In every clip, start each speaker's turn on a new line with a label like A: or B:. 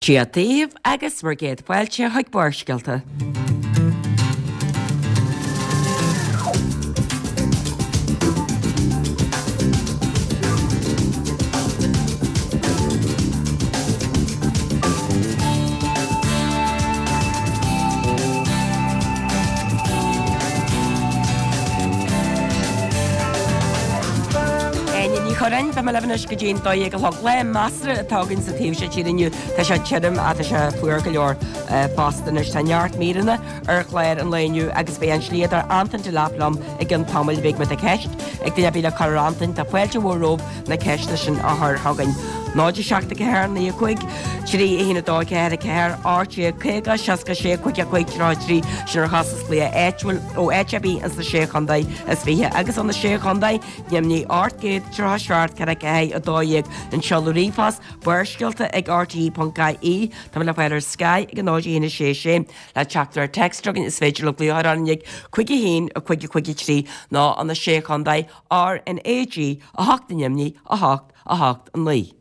A: Dia daoibh agus bhur gcéad fáilte chuig Barrscéalta. Áine Ní Churráin, beidh mé libh anois go dtí an 12 a chlog. Lá measartha atá againn sa taobh seo tíre inniu. Tá sé tirim ach tá sé fuar go leor fosta anois. Tá neart míreanna ar chlár an lae inniu agus beidh an slíodóir Antain Delap liom i gcionn tamaill. Beidh má tá ceist ag duine ar bith le cur ar Antain. Tá fáilte mhór romhaibh na ceisteanna sin a chur chugainn. 0 7 4 9 5 3 1 2 4 4 18 50 66 5 5 33 sin ar chostas glaoch áitiúil ó áit ar bith ins na Sé Chontae is 20 agus ó na Sé Chontae Ainmnigh 837 4 4 12 an seoladh ríomhphost Barrscéalta ag rte.ie Tá mé le fáil ar Sky ag 0 1 6 6 Le teachtaireacht téacs chugainn is féidir libh glaoch orainn ag 5 1 5 5 3 nó ó na Sé Chontae RnaG 8 ainmnigh 8 8 9.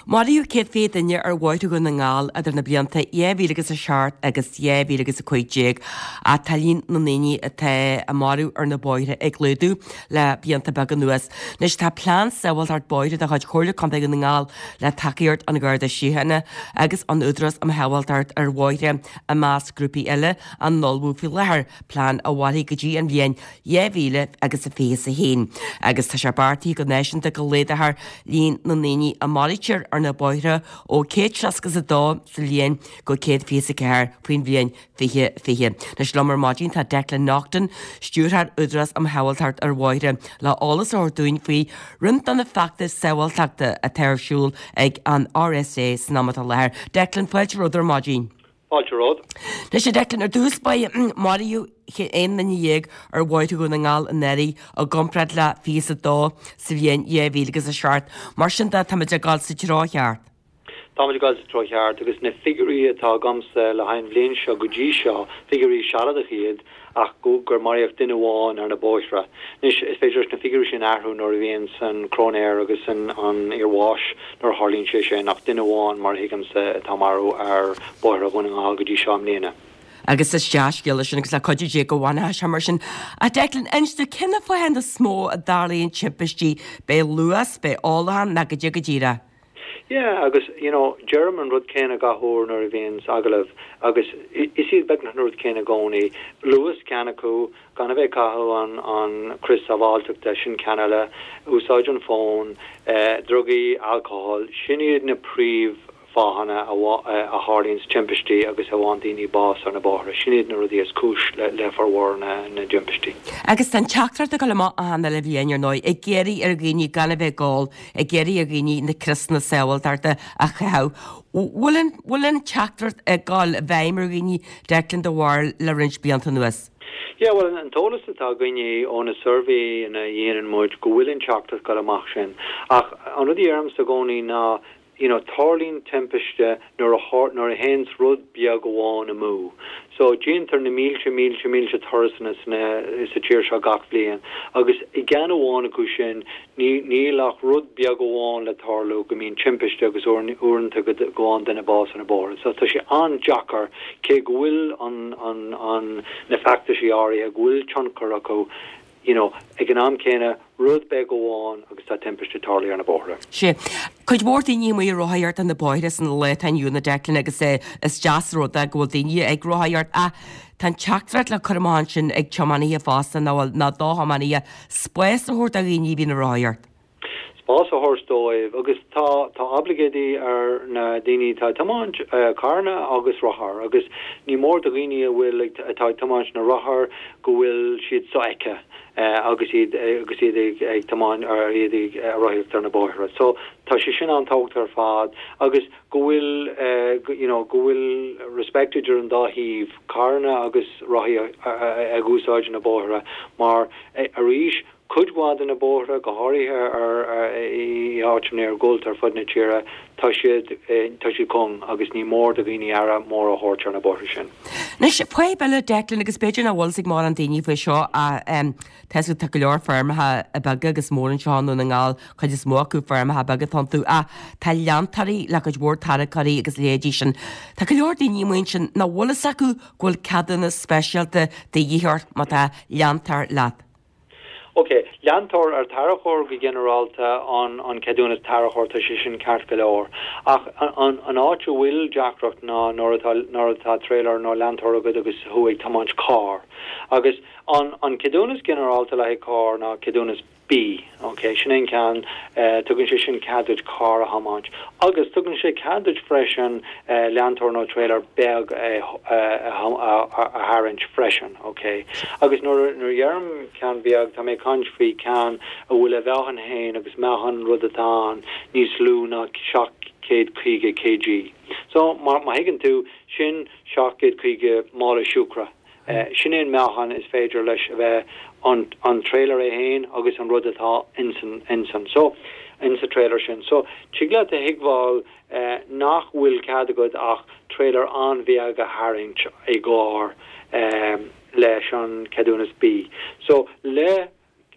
A: Maraíodh 120 duine ar bhóithre Dhún na nGall idir na blianta 2000 agus 7 agus 2015 ach tá líon na ndaoine atá á marú ar na bóithre ag laghdú le blianta beaga anuas. Anois tá plean sábháilteacht bóithre de chuid Chomhairle Contae Dhún na nGall le tacaíocht an Gharda Síochána agus an Údarás um Shábháilteacht ar Bhóithre i measc grúpaí eile á n-ullmhú faoi láthair, plean a mhairfidh go dtí an bhliain 2000 agus 21 agus tá sé beartaithe go náisiúnta go laghdófar líon na ndaoine a maraítear ar na bóithre ó 162 sa bhliain go 124 faoin bhliain 2020. Anois liom ar maidin tá Declan Naughton, Stiúrthóir Údarás um Shábháilteacht ar Bhóithre, le eolas a thabhairt dúinn faoi roinnt de na feachtais sábháilteachta atá ar siúl ag an RSA san am atá i láthair. Declan, fáilte romhat ar maidin.
B: Fáilte romhat.
A: Anois a Declan, ar dtús báire, maraíodh 11 nduine ar bhóithre Dhún na nGall anuraidh i gcomparáid le 22 sa bhliain 2007. Mar sin de, táimid ag dul sa treo cheart.
B: Táimid ag dul sa treo cheart agus na figiúirí atá agamsa le haghaidh an bhliain seo go dtí seo, figiúirí sealadacha iad, ach gur maraíodh duine amháin ar na bóithre. Anois, is féidir leis na figiúirí sin athrú nuair a bhíonns an cróinéir agus an fhear bháis, nuair a tharlaíonn sé sin, ach duine amháin, mar a thuigimse, atá marbh ar bhóithre Dhún na nGall go dtí seo i mbliana.
A: Agus is dea-scéala sin agus le cuidiú Dé go bhfanfaidh sé mar sin. Ach Declan, inis dúinn, cé na fáthanna is mó a dtarlaíonn timpistí? B'é luas, b'é ólachán, nó goidé go díreach?
B: Yeah, agus, you know, deirim an rud céanna gach uair nuair a bhíonns agallamh agus is iad beagnach na rud céanna i gcónaí. Luas ceann acu, gan a bheith ag caitheamh an, an crios sábháilteachta, sin ceann eile, úsáid an fón, eh, drugaí, alcohol, sin iad na príomh fáthanna a, a tharlaíonns timpistí agus a bhfaigheann daoine bás ar na bóithre. Sin iad na rudaí is cúis le, le formhór na, na dtimpistí.
A: Agus tá an teachtaireacht ag dul amach achan uile bhliain, ar ndóigh, ag iarraidh ar dhaoine gan a bheith ag ól, ag iarraidh ar dhaoine na criosanna sábháilteachta a chaitheamh. Bhfuil an, bhfuil an teachtaireacht ag dul i bhfeidhm ar dhaoine, Declan, do bharúil, le roinnt blianta anuas?
B: Yeah, bhuel, an t-eolas atá againne ó na suirbhéanna a dhéanann muid go bhfuil an teachtaireacht ag dul amach sin. Ach an rud a deirimse i gcónaí ná, you know, tarlaíonn timpiste nuair a, nuair a théanns rud beag amháin amú. So, déantar na mílte, mílte, mílte turasanna sna, sa tír seo gach bhliain agus i gceann amháin acu sin ní, níl ach rud beag amháin le tarlú go mbíonn timpiste agus uaireanta go bhfaigheann duine bás ar na bóithre. So, tá sé an-deacair, cé go bhfuil an, an, an, na feachtaisí áirithe, go bhfuil tionchar acu, you know, ag an am céanna, rud beag amháin agus tá timpiste tarlaithe ar na bóithre.
A: Sea. Cuid mhór daoine amuigh ag rothaíocht ar na bóithre san lá atá inniu ann a Declan agus is deas an rud é go bhfuil daoine ag rothaíocht ach tá an teachtaireacht le cur amach ansin ag tiománaithe fosta nó nó do thiománaithe spás a thabhairt do dhaoine a bhíonn ag rothaíocht.
B: Spás a thabhairt dóibh agus tá tá oibleagáidí ar na daoine atá ag tiomáint carranna agus rothar agus ní mór do dhaoine a bhfuil ag atá ag tiomáint na rothar go bhfuil siad sofheicthe agus iad agus iad ag ag tiomáint ar iad ag rothaíocht ar na bóithre. So tá sé sin an-tábhachtach ar fad agus go bhfuil you know go bhfuil respect idir an dá thaobh, carranna agus rothaí ag úsáid na bóithre mar arís. Cuid mhaith de na bóithre, go háirithe ar i áiteanna iargúlta ar fud na tíre, tá siad tá siad cúng agus ní mór do dhaoine aire mór a thabhairt ar na bóithre sin.
A: Anois, fadhb eile, Declan, agus b'fhéidir nach bhfuil 'fhios ag mórán daoine faoi seo ach tá 'fhios agat tá go leor feirmeacha beaga agus móra anseo i nDún na nGall, cuid is mó acu feirmeacha beaga atá iontu ach tá leantóirí le cuid mhór tarracóirí agus leithéidí sin. Tá go leor daoine amuigh ansin nach bhfuil 'fhios acu go bhfuil ceadúnas speisialta de dhíth ort má tá leantóir leat.
B: Ok, leantóir ar tarracóir go ginearálta an an ceadúnas tarracóir tá sé sin ceart go leor. Ach an an áit a bhfuil deacracht ná nuair atá nuair atá trailer nó leantóir agat agus thú ag tiomáint carr. Agus an an ceadúnas ginearálta le haghaidh carr ná ceadúnas B, ok, sin é an ceann, tugann sé sin cead duit carr a thiomáint. Agus tugann sé cead duit freisin leantóir nó trailer beag a tharraingt freisin, ok. Agus nuair a dheirim ceann beag, tá mé ag caint faoi ceann a bhfuil a mheáchan féin agus meáchan an rud atá ann níos lú ná 750 kg. So, má thuigeann tú, sin 750 mála siúcra. Sin é an meáchan is féidir leis a bheith, an an trailer é féin agus an rud atá insan insan so insa trailer sin. So tig leat a thuigbheáil nach bhfuil cead agat ach trailer an-bheag a tharraingt i gcarr leis an ceadúnas B. So le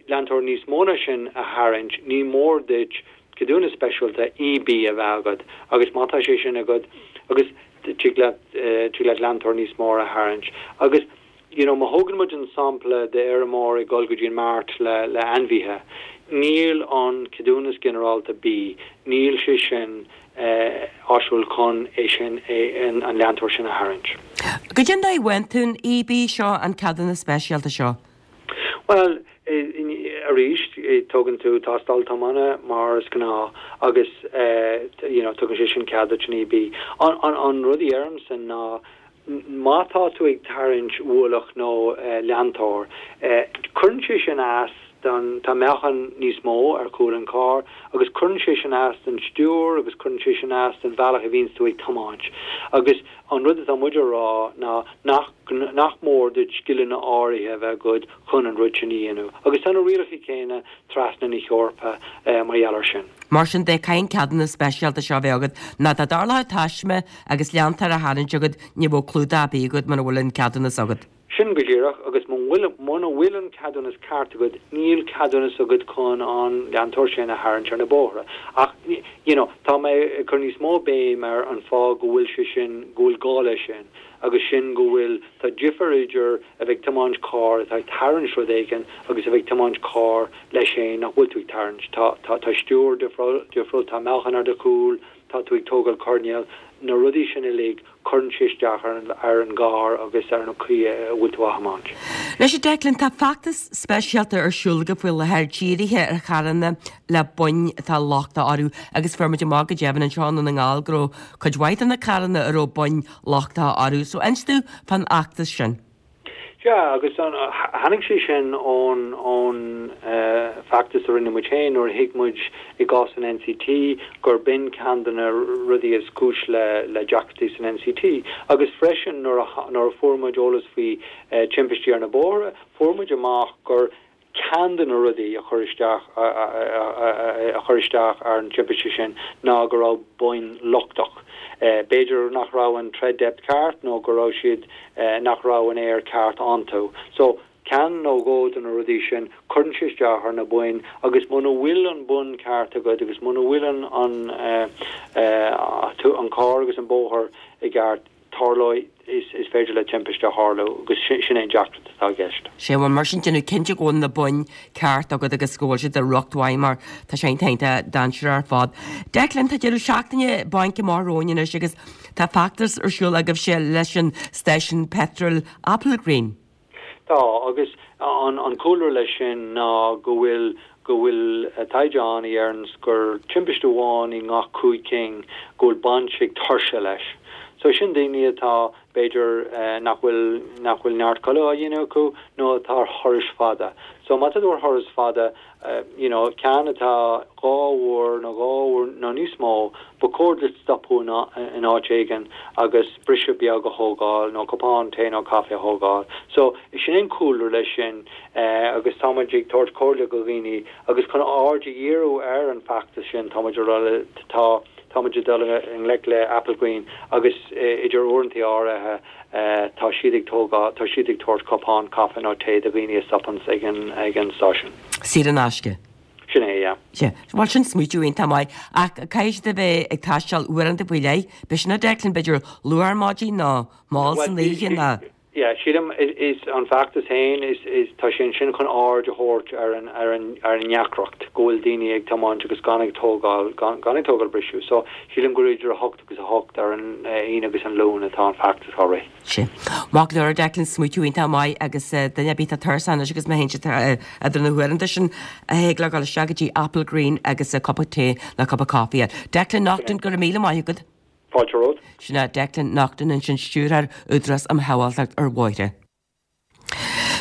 B: leantóir níos mó ná sin a tharraingt, ní mór duit ceadúnas speisialta EB a bheith agat agus má tá sé sin agat agus tig leat tig leat leantóir níos mó a tharraingt. Agus you know má thógann muid an sampla de fheirmeoir ag dul go dtí an mart le le ainmhithe, níl an ceadúnas ginearálta B, níl sé sin áisiúil chun é sin an leantóir sin a tharraingt.
A: Goidé an dóigh a bhfaigheann tú an EB seo, an ceadúnas speisialta seo?
B: Bhuel, arís, tógann tú tástáil tiomána mar is gnáth agus you know tugann sé sin cead duit an EB. An rud a dheirimse ná má tá tú ag tarraingt ualach nó leantóir, cuireann sé sin as don, tá meáchan níos mó ar chúl an chairr agus cuireann sé sin as don stiúir agus cuireann sé sin as don bhealach a bhíonns tú ag tiomáint agus an rud atá muid a rá ná nach nach mór duit scileanna áirithe a bheith agat chun an rud sin a dhéanamh. Agus tá na rialacha céanna trasna na hEorpa mar gheall air sin.
A: Mar sin de, caithfidh an ceadúnas speisialta seo a bheith agat, nó dá dtarlódh taisme agus leantóir á tharraingt agat, ní bheadh clúdach ar bith agat muna bhfuil an ceadúnas agat.
B: Sin go díreach, agus muna bhfuil an ceadúnas ceart agat, níl ceadúnas agat chun an leantóir sin a tharraingt ar na bóithre. Ach, you know, tá mé ag cur níos mó béim ar an fáth go bhfuil sé sin, go bhfuil gá leis sin, agus sin go bhfuil, tá difear idir a bheith ag tiomáint carr atá ag tarraingt rud éigin agus a bheith ag tiomáint carr leis féin nach bhfuil tú ag tarraingt. Tá, tá, tá stiúir difriúil, tá meáchan ar do chúl, tá tú ag tógáil coirnéal, na rudaí sin uilig, cuireann sé isteach ar an gcarr agus ar an chaoi a bhfuil tú á thiomáint.
A: Anois a Declan, tá feachtas speisialta ar siúl agaibh faoi láthair dírithe ar charranna le boinn atá lochtach orthu agus fuair muid amach go deimhin anseo i nDún na nGall go raibh cuid mhaith de na carranna a raibh boinn lochtacha orthu. So inis dúinn fán fheachtas sin.
B: Sea, agus tháinig sé sin ón ón feachtas a rinne muid féin nuair a thuig muid i gcás an NCT gur b'in ceann de na rudaí is cúis le le deacrachtaí san NCT. Agus freisin nuair a nuair a fuair muid eolas faoi timpistí ar na bóithre, fuair muid amach gur Ceann de na rudaí a chuir isteach a chuir isteach ar an timpiste sin ná go raibh boinn lochtach. B'fhéidir nach raibh an tread depth ceart nó go raibh siad nach raibh an aer ceart iontu. So, ceann nó dhó de na rudaí sin, cuireann sé isteach ar na boinn agus muna bhfuil an bonn ceart agat agus muna bhfuil an an an carr agus an bóthar i gceart, tarlóidh, is féidir le timpiste a tharlú agus sin é an deacracht atá i gceist.
A: Sea, bhuel mar sin déanamh cinnte go bhfuil na boinn ceart agat agus go bhfuil siad i riocht mhaith mar tá sé iontach iontach dainséarach ar fad. Declan, tá deireadh seachtaine bainc amach romhainn anois agus tá feachtas ar siúl agaibhse leis an stáisiún peitril Applegreen.
B: Tá, agus an cúlra leis sin ná go bhfuil go bhfuil taighde ann a dheireanns gur timpiste amháin i ngach 5 cinn go bhfuil baint ag tuirse leis. So sin daoine atá, b'fhéidir, nach bhfuil, nach bhfuil neart codladh á dhéanamh acu nó atá ar thurais fada. So má tá tú ar thuras fada, you know, ceann atá 2 uair nó 2 uair nó níos mó, ba chóir duit stopadh in áit éigin agus briseadh beag a thógáil nó cupán tae nó caife a thógáil. So, sin an cúlra leis sin agus tá muid ag tabhairt comhairle go dhaoine agus chun aird a dhíriú ar an bhfeachtas sin tá muid ag rá le, tá, tá muid ag dul i ngleic le Applegreen agus idir uaireanta áirithe tá siad ag tógáil, tá siad ag tabhairt cupán caife nó tae do dhaoine a stopanns ag an, ag an stáisiún.
A: Saor in aisce.
B: Sin é, yeah.
A: Sea. Bhuel, sin smaoitiú iontach maith. Ach caithfidh siad a bheith ag taisteal uaireanta faoi leith. B'é sin a Declan, b'fhéidir luath ar maidin nó mall san oíche nó.
B: Yeah, sílim, is an feachtas féin, is, is, tá sé ansin chun aird a thabhairt ar an, ar an, ar an ndeacracht go bhfuil daoine ag tiomáint agus gan ag tógáil, gan, gan ag tógáil briseadh. So, sílim gur idir 8 agus 8 ar an Aoine agus an Luan atá an feachtas á rith.
A: Sea. Maith go leor, Declan, smaoitiú iontach maith agus duine ar bith atá tuirseach anois agus má théann siad idir na huaireanta sin, thig leo dul isteach go dtí Applegreen agus cupa tae nó cupa caife a fháil. Declan Naughton, go raibh míle maith agat.
B: Fáilte romhat.
A: Sin é Declan Naughton ansin, Stiúrthóir Údarás um Shábháilteacht ar Bhóithre.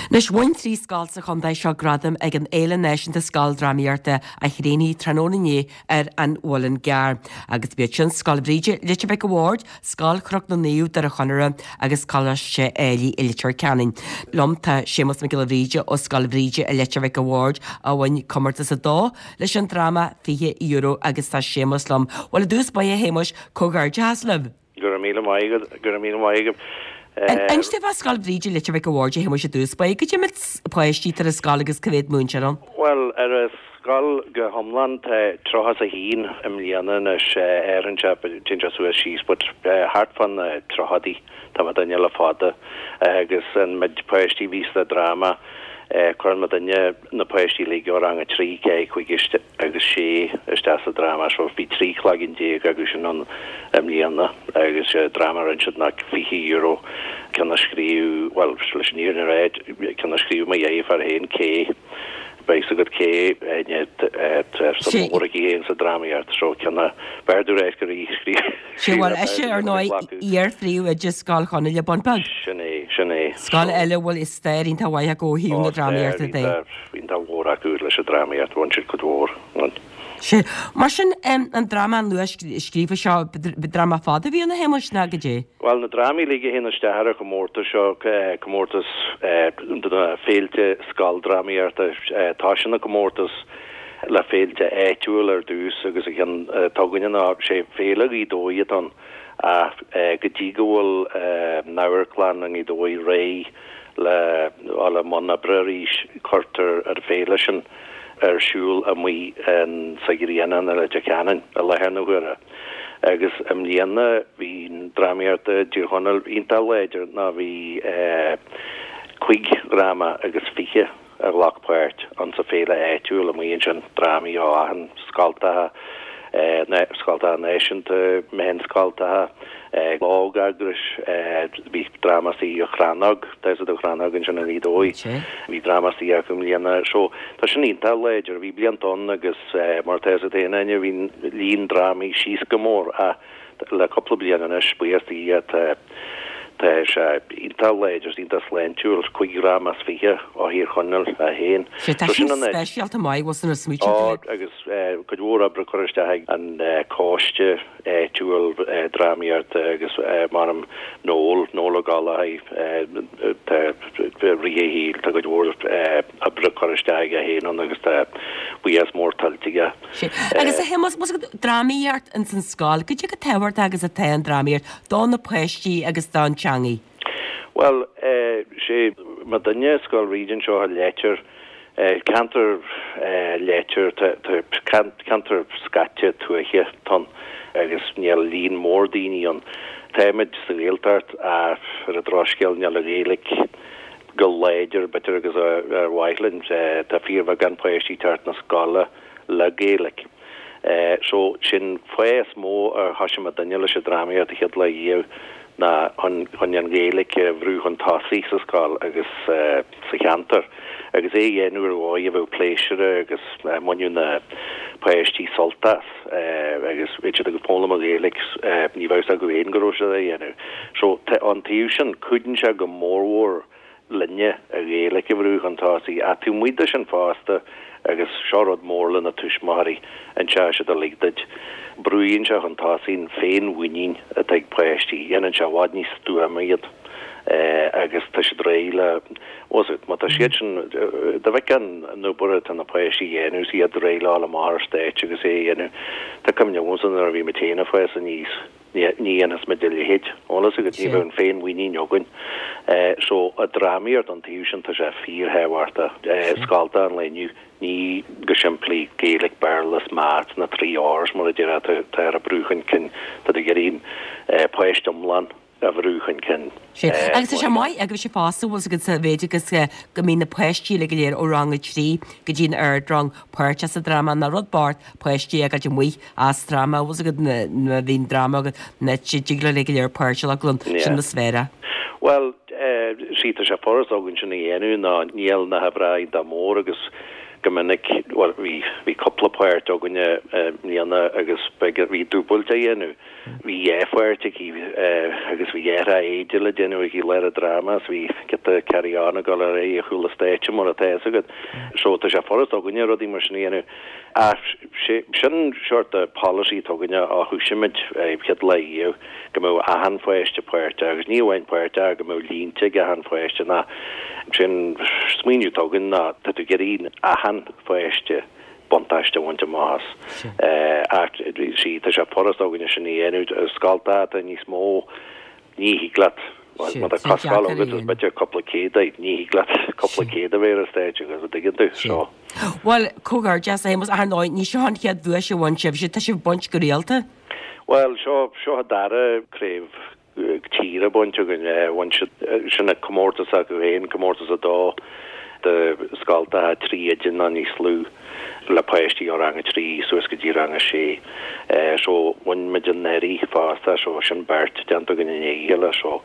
A: Anois, bhain 3 scoil sa chontae seo gradam ag an Fhéile Náisiúnta Scoildrámaíochta a chríochnaigh tráthnóna inné ar an Mhuileann gCearr. Agus b'iad sin Scoil Bhríde, Leitir Mhic a' Bhaird, Scoil Chnoc na Naomh, Doire Chonaire agus Coláiste Éilí i Leitir Ceanainn. Liom tá Séamus Mac Giolla Bhríde ó Scoil Bhríde i Leitir Mhic a' Bhaird a bhain comórtas 2 leis an dráma €20 agus tá Séamus liom. Bhuel i dtús báire a Shéamuis, comhghairdeachas libh!
C: Go raibh míle maith agat, go raibh míle maith agat.
A: Inis dúinn fá Scoil Bhríde Leitir Mhic a' Bhaird a Shéamuis i dtús báire, goidé méid páistí atá ar an scoil agus cá mhéad múinteoir ann?
C: Bhuel, ar an scoil go hiomlán tá 31 i mbliana anois, athraíonn sé, téann sé suas síos but thart fá na tríochaidí tá muidinne le fada agus an méid páistí a bhí sa dráma, cuireann muidinne na páistí uilig ó rang 3, 4, 5 agus 6 isteach sa dráma so bhí 13 cloigeann acu sin ann i mbliana agus dráma a rinne siad ná €20 ceann a scríobh, bhuel leis an fhírinne a rá ceann a scríobh mo dheirfiúr féin Kay, beidh fhios agat Kay tá suim mhór aici féin sa drámaíocht so ceann a b'fhearr domh ráit gur í a
A: scríobh. Sea, bhuel, ise, ar ndóigh, iar-phríomhoide Scoil Chonnaile, Bun Beag.
C: Sin é, sin é.
A: Scoil eile a bhfuil stair iontach mhaith acu ó thaobh na drámaíochta de.
C: Ó, stair iontach mhór acu leis an drámaíocht, bhain siad cuid mhór.
A: Sea. Mar sin, an dráma nua-scríofa seo, dráma fada a bhí ann, a Shéamuis, nó goidé?
C: Bhuel, na drámaí uilig a théann isteach ar an chomórtas seo, comórtas do na féilte scoildrámaíochta, tá sin ina comórtas le féilte áitiúil ar dtús agus an ceann atá againne ná sé Féile Ghaoth Dobhair atá ann ach go dtí go bhfuil an amharclann i nGaoth Dobhair réidh le dhul i mbun oibre arís cuirtear an féile sin ar siúl amuigh in sa Ghrianán i Leitir Ceanainn i láthair na huaire. Agus i mbliana bhí an drámaíocht i dTír Chonaill iontach láidir ná bhí cuig dhráma agus fiche a ghlac páirt ann sa féile áitiúil amuigh ansin, drámaí ó achan scoltacha, scoltacha náisiúnta, meánscoltacha, óg-eagrais, bhí dráma istigh ó Chrannóg, tá fhios agat an Chrannóg ansin i nGaoth Dobhair, bhí dráma istigh acu i mbliana. So, tá sin iontach láidir. Bhí blianta ann agus mar atá fhios agat féin, Áine, bhí líon drámaí síos go mór ach Le cúpla bliain anois, buíochas do Dhia, tá tá sé iontach láidir, iontach sláintiúil, 5 dhráma as 20 ó Thír Chonaill é féin.
A: Sea, tá sin speisialta maith, bhfuil san ar smaoitiú
C: tú? Ó, agus cuid mhór oibre curtha isteach ag an coiste áitiúil drámaíochta agus mar Noel, Noel Ó Gallchóir, tá rith a shaoil, tá cuid mhór oibre curtha isteach aige féin ann agus tá buíochas mór tuillte aige.
A: Sea. Agus a Shéamuis, más ag drámaíocht ins an scoil, goidé chomh tábhachtach agus atá an drámaíocht do na páistí agus don teangaidh?
C: Bhuel, sé muidinne, Scoil Bhríde anseo i Leitir, ceantar Leitir, tá ceantar scaite tuaithe atá ann agus níl líon mór daoine ann. Táimid sa Ghaeltacht ach ar an drochscéal níl an Ghaeilge go láidir b'fhéidir agus ar mhaith linn. Tá fíorbheagán páistí ag teacht na scoile le Gaeilge. So, sin fáth is mó ar thoisigh muidinne leis an drámaíocht an chéad lá riamh. ná chun chun an Ghaeilge a bhrú chun tosaigh sa scoil agus sa cheantar agus é a dhéanamh ar dhóigh a bheadh pléisiúrtha agus a mbainfeadh na páistí sult as agus bheadh siad ag foghlaim an Ghaeilge ní bheadh fhios acu féin go raibh siad á dhéanamh. So ón taobh sin cuidíonn sé go mórmhór linne an Ghaeilge a bhrú chun tosaigh. Ach taobh amuigh de sin fosta, agus seo rud mór le na tuismitheoirí, an teach siad a lig duit, brúíonn sé chun tosaigh an féinmhuinín atá ag páistí, dhéanann sé i bhfad níos stuama iad agus tá siad réidh le, bhfuil fhios agat, má tá siad sin, dá bhfeicfeá an obair atá na páistí a dhéanamh is iad réidh le dhul amach ar stáitse agus é a dhéanamh, tá cuimhne agamsa nuair a bhí muid féin ag fás aníos. Ní dhéanfadh muid a leithéid. Bhfuil fhios agat, ní bheadh an féinmhuinín againn. So, an drámaíocht ón taobh sin, tá sé fíorthábhachtach. Scoltacha an lae inniu, ní go simplí Gaeilge, Béarla is Maths, na trí R's mar a déarfá, atá á brú chun cinn. Tá tú ag iarraidh páiste iomlán a bhrú chun cinn.
A: Sea. Agus tá sé maith agaibhse fosta, bhfuil fhios agat, sa mhéid agus go mbíonn na páistí uilig go léir ó rang a 3 go dtí an ardrang páirteach sa dráma, nach rud bocht páistí a fhágáilt amuigh as dráma, bhfuil fhios agat, nuair a bhíonn dráma agat, nach dtig leo uilig go léir páirt a ghlacadh ann, sin na sféara.
C: Bhuel, sea, tá sé furast againn sin a dhéanamh ná níl na huimhreacha iontach mór agus go minic, bhuel, bhí, bhí cúpla páirt againne i mbliana agus b'fhéidir, bhí dúbailt á dhéanamh. Bhí dhá pháirt aici agus bhí dhá thráth éide le déanamh aici lá an dráma is bhí giota carry on ag dul ar aghaidh ar chúl an stáitse mar atá fhios agat. So tá sé furast againne rudaí mar sin a dhéanamh. Ach sin sort of policy atá againne ó thoisigh muid chéad lá riamh go mbeadh achan pháiste páirteach agus ní amháin páirteach go mbeadh línte ag achan pháiste ná sin smaoineamh atá againn ná tá tú ag iarraidh achan pháiste buntáiste a bhaint amach as. Ach sea, tá sé furast againne sin a dhéanamh. Scoltacha atá níos mó, ní thig leat, má tá scoil agat is b'fhéidir cúpla céad é, ní thig leat cúpla céad a bheith ar an stáitse agus an dtuigeann tú, so.
A: Bhuel, comhghairdeas a Shéamuis, ach ar ndóigh, ní seo an chéad duais a bhain sibhse, tá sibh ag baint go rialta.
C: Bhuel, seo, seo an dara craobh tíre bainte againn. Bhain siad sin an comórtas acu féin, comórtas 2 do scoltacha 3 oide nó níos lú le páistí ó rang 3 suas go dtí rang 6. So bhain muid anuraidh fosta, so sin beirt déanta againn i ndiaidh a chéile. So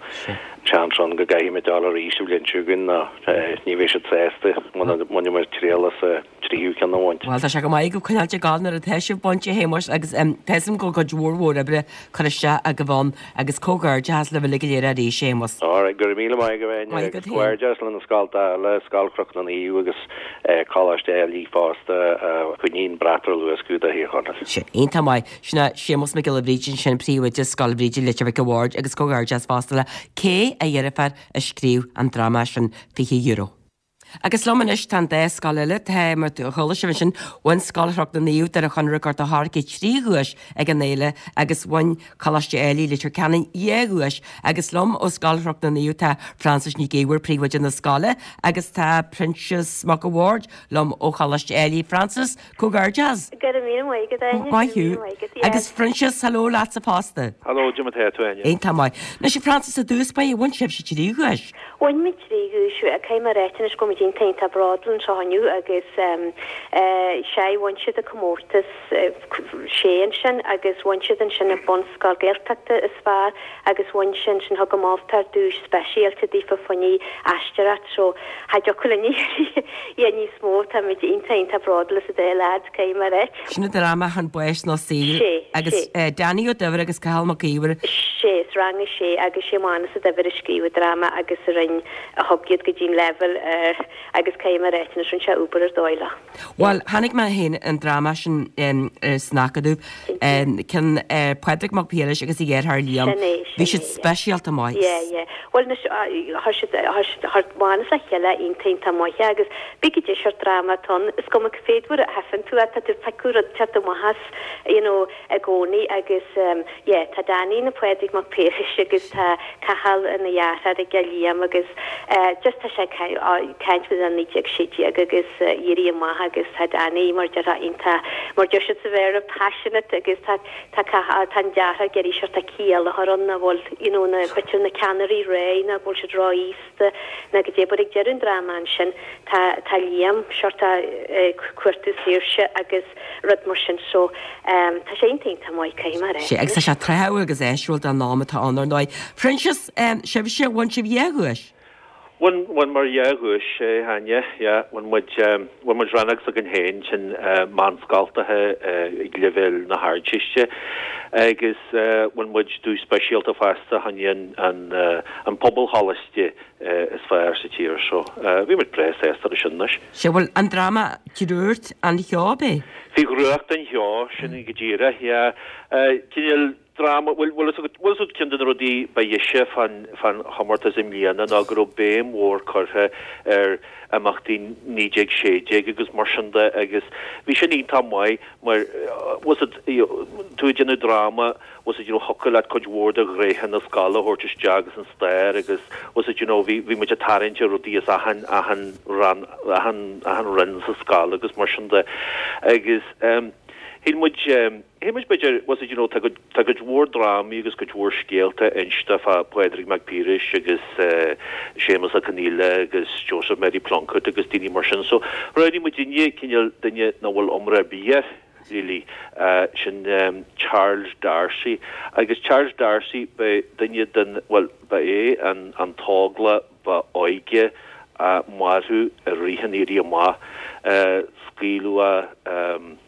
C: seans ann go gcaithfidh muid dul arís an bhliain seo chugainn nó ní bheidh siad sásta muna mbainfidh muid triail as tríú ceann a bhaint.
A: Bhuel, tá sé go maith agaibh coinneáilt ag gabháil nuair atá sibh bainte, a Shéamuis, agus tá fhios agam go bhfuil cuid mhór mhór oibre curtha isteach agaibh ann agus comhghairdeachas libh uilig go léir arís, a Shéamuis.
C: Alright, go raibh míle maith agat, Áine,
A: Maith agat
C: agus comhghairdeas le na scoltacha eile, Scoil Chnoc na Naomh agus Coláiste Ailigh fosta a choinníonn brat ar luascadh do Thír Chonaill.
A: Sin iontach maith. Sin é Séamus Mac Giolla Bhríde ansin, Príomhoide Scoil Bhríde, Leitir Mhic a' Bhaird agus comhghairdeas fosta le Kay, a dheirfiúr a scríobh an dráma sin, €20. Agus liom anois tá an dá scoil eile. Tá, mar a chuala sibh ansin, bhain Scoil Chnoc na Naomh, Doire Chonaire, Gort a' Choirce trí dhuais ag an fhéile agus bhain Coláiste Ailigh, Leitir Ceanainn dhá dhuais. Agus liom ó Scoil Chnoc na Naomh tá Frances Nic Íomhair, Príomhoide na scoile, agus tá Proinsias Mac a' Bhaird liom ó Choláiste Ailigh. Frances, Comhghairdeas!
D: Go raibh míle maith agat, Áine.
A: Maith thú. Agus Proinsias, hello leatsa fosta.
E: Hello, cad é mar atá tú, Áine.
A: Iontach maith. Anois, a Frances, i dtús báire, bhain sibhse trí dhuais.
D: Bhain muid trí dhuais. Caithfidh mé a ráit anois go bhfuil muid iontach iontach bródúil anseo inniu agus sea, bhain siad an comórtas sé ansin agus bhain siad ansin an bunscoil Gaeltachta is fearr agus bhain sé ansin thug an moltóir duais speisialta daofa fá choinne aisteoireacht so cha dtiocfadh linn iarraidh níos mó táimid iontach iontach bródúil as an dá leaid caithfidh mé a ráit.
A: Sin an dráma Chun Báis nó Saoil
D: Sé,
A: agus
D: sé.
A: Danny Ó Duibhir agus Cathal Mac Íomhair.
D: Sé, is rang a sé agus sé Mánas Ó Duibhir a scríobh an dráma agus a rinn a thug iad go dtí an leibhéal agus caithfidh mé a ráit anois rinne sé obair ar dóigh leo.
A: Bhuel, chonaic mé féin an dráma sin san Acadamh, ceann Pádraig Mac Piarais agus a dheartháir Liam.
D: Sin é,
A: Bhí
D: sin
A: siad
D: é, yeah.
A: speisialta maith.
D: Yeah, yeah. Bhuel anois, chuir siad, chuir siad, chuir Mánas le chéile iontach, iontach maith é agus pé cad é seort dráma atá ann, is cuma cé mhéad uair a thaifeann tú é, tá tú ag piocadh rud inteacht amach as, you know, i gcónaí agus yeah, tá Danny ina Phádraig Mac Piarais agus tá Cathal ina dheartháir aige, Liam, agus just tá sé ag caint. caint faoi 1916 agus Éirí Amach agus tá Danny mar déarfá iontach mar deir siad sa Bhéarla passionate agus tá tá tá an deartháir ag iarraidh seort ciall a chur ann nach bhfuil you know na b'fhéidir na ceannairí réidh nó go bhfuil siad ró-aosta nó goidé but ag deireadh an dráma ansin tá tá Liam seort ag cuartú saoirse agus rud mar sin so tá sé iontach iontach maith caithfidh mé a rá.
A: Sea agus tá sé tráthúil agus áisiúil don am atá ann ar ndóigh. Proinsias, sibhse, bhain sibh dhá dhuais?
C: Bhain, bhaineamar dhá dhuais, a Áine, yeah. Bhain muid, bhain muid rannóg s'againn féin, sin meánscoltacha ag leibhéal na hArdteiste, agus bhain muid duais speisialta fosta, fá choinne an, an, an pobalcholáiste is fearr sa tír. So, bhí muid breá sásta leis sin anois.
A: Sea, bhuel, an dráma Drúcht an Cheo, ab é?
C: Faoi dhrúcht an cheo, sin go díreach, yeah. Cineál. Dráma, bhuel, bhfuil fhios agat, bhfuil fhios agat ceann de na rudaí ba dheise fán, fán chomórtas i mbliana ná go raibh béim mhór curtha ar imeachtaí 1916 agus mar sin de agus bhí sin iontach maith mar, bhfuil fhios agat, tú ag déanamh dráma, bhfuil fhios agat, you know, thiocfadh leat cuid mhór de ghnéithe na scoile a thabhairt isteach agus an stair agus, bhfuil fhios agat, you know, bhí, bhí muid ag tarraingt ar rudaí as achan, achan ran, achan, achan roinn sa scoil agus mar sin de agus, eh, shíl muid, eh, Shíl muid b'fhéidir, bhfuil fhios agat, you know, tá cuid, tá cuid mhór drámaí agus cuid mhór scéalta inste fá Phádraig Mac Piarais agus Séamus Ó Conghaile agus Joseph Mary Plunkett agus daoine mar sin. So, roghnaigh muidinne cineál duine nach bhfuil iomrá ar bith air, really, sin Charles D'Arcy. Agus Charles D'Arcy, ba duine den, bhuel, ba é an, an t-óglach ba óige a maraíodh i rith an Éirí Amach. Scaoileadh é.